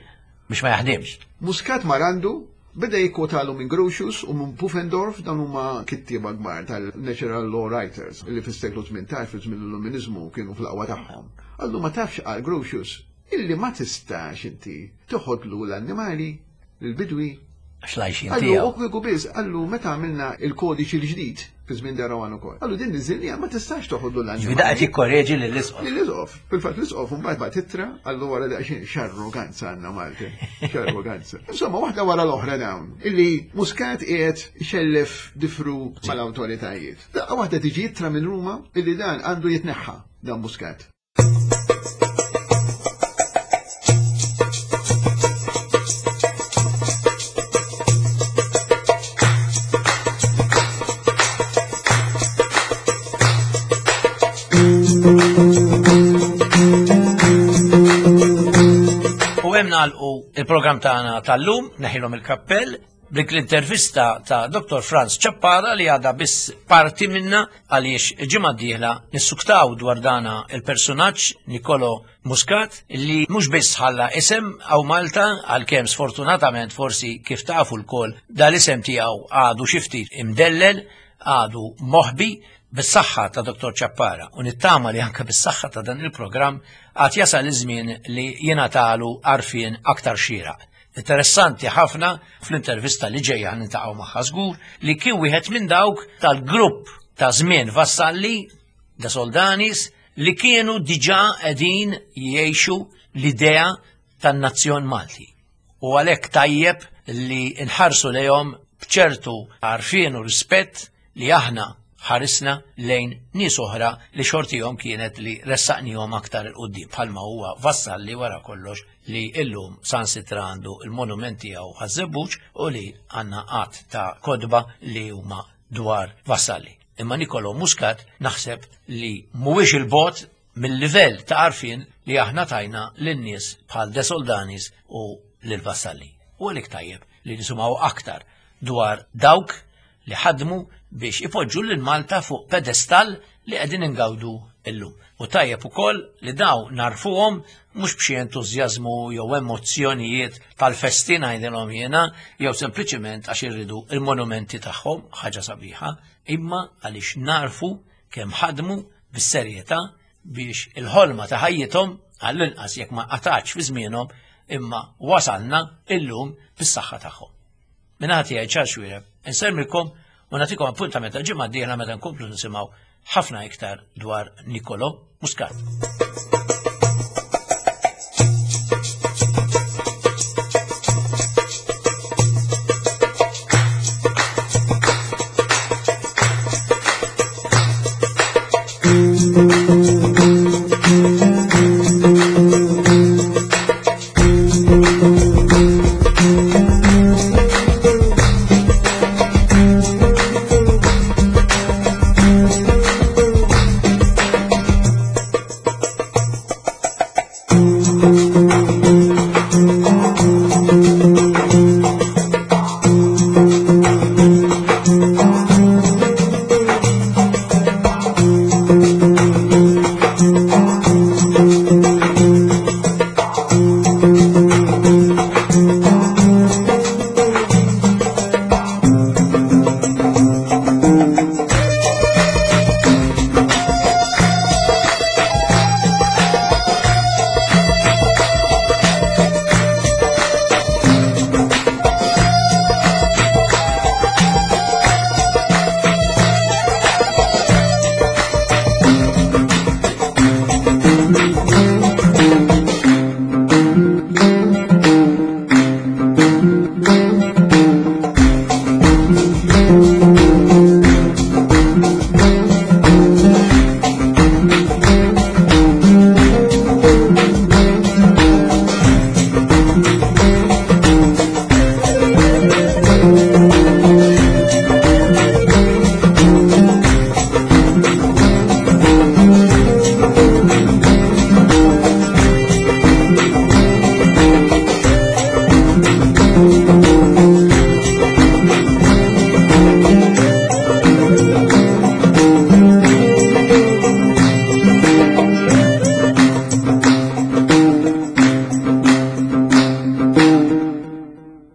Biex ma jaħdimx. Muscat mar għandu, beda jikkwotalu minn Grotius u minn Pufendorf, dawn huma kittieba kbar tal-natural law writers li fis-seklu 18 fi żmien l-Illuminizmu kienu fl-aqwa tagħhom. Qallu ma tafx qal Grotius illi ma tistax inti toħodlu l-annimali lill-bidwi. Għax l-għajxien Qallu tiegħu. u kieku biss, qallu meta għamilna il-kodiċi l-ġdid fi żmien de Rohan ukoll. Qallu din niżilniha ma tistax toħodlu l-annimali. Ġifieri da qed jikkoreġi lill-isqof. Lill-isqof. Fil-fatt l-isqof imbagħad bagħat ittra qallu wara daqsxejn x'arroganza għandna Malta. X'arroganza. Insomma waħda wara l-oħra dawn illi Muscat qiegħed ixellef difru mal-awtoritajiet. Daqqa waħda tiġi ittra minn Ruma illi dan għandu jitneħħa dan Muscat. U hemm nagħlqu il-programm tagħna tal-lum, neħilhom il-kappell, b'dik l-intervista ta' Dr. Franz Ciappara li għadha biss parti minna għaliex il-ġimgħa d-dieħla nissuktaw dwar dana il-personaġġ Nicolo Muscat li mhux biss ħalla isem hawn Malta għalkemm sfortunatament forsi kif tafu lkoll dal-isem tiegħu għadu xi ftit imdellel, għadu moħbi bis-saħħa ta' Dr. Ciappara u nittama li anke bis-saħħa ta' dan il-programm għad jasal iż-żmien li jingħatalu għarfien aktar xieraq. Interessanti ħafna fl-intervista li ġejja nintaqgħu magħha żgur li kien wieħed minn dawk tal-grupp ta' żmien Vassalli de Soldanis li kienu diġà qegħdin jgħixu l-idea tan-nazzjon Malti. U għalhekk tajjeb li nħarsu lejhom b'ċertu għarfien u rispett li aħna ħarisna lejn nies oħra li xortihom kienet li ressaqnihom aktar 'il quddiem bħalma huwa Vassalli wara kollox li illum sansitra għandu il-monument tiegħu Ħaż-Żebbuġ u li għandna għadd ta' kotba li huma dwar Vassalli. Imma Nicolo Muscat naħseb li mhuwiex il-bogħod mill-livell ta' għarfien li aħna tajna lin-nies bħal De Soldanis u lil Vassalli. U għalhekk tajjeb li nisimgħu aktar dwar dawk li ħadmu biex ipoġġu lil Malta fuq pedestall li qegħdin ingawdu illum. U tajjeb ukoll li daw narfuhom mhux b'xi entużjażmu jew emozzjonijiet tal-festi ngħidilhom jiena, jew sempliċiment għax irridu il-monumenti tagħhom, ħaġa sabiħa, imma għaliex narfu kemm ħadmu bis-serjetà biex il-ħolma ta' ħajjithom għall-inqas jekk ma qatgħatx fi żmienhom imma wasalna illum bis-saħħa tagħhom. Minn tiegħi Charles Xuereb, insellmilkom u nagħtikom appuntament għal ġimgħa d-dieħla meta nkomplu nisimgħu ħafna iktar dwar Nicolo Muscat.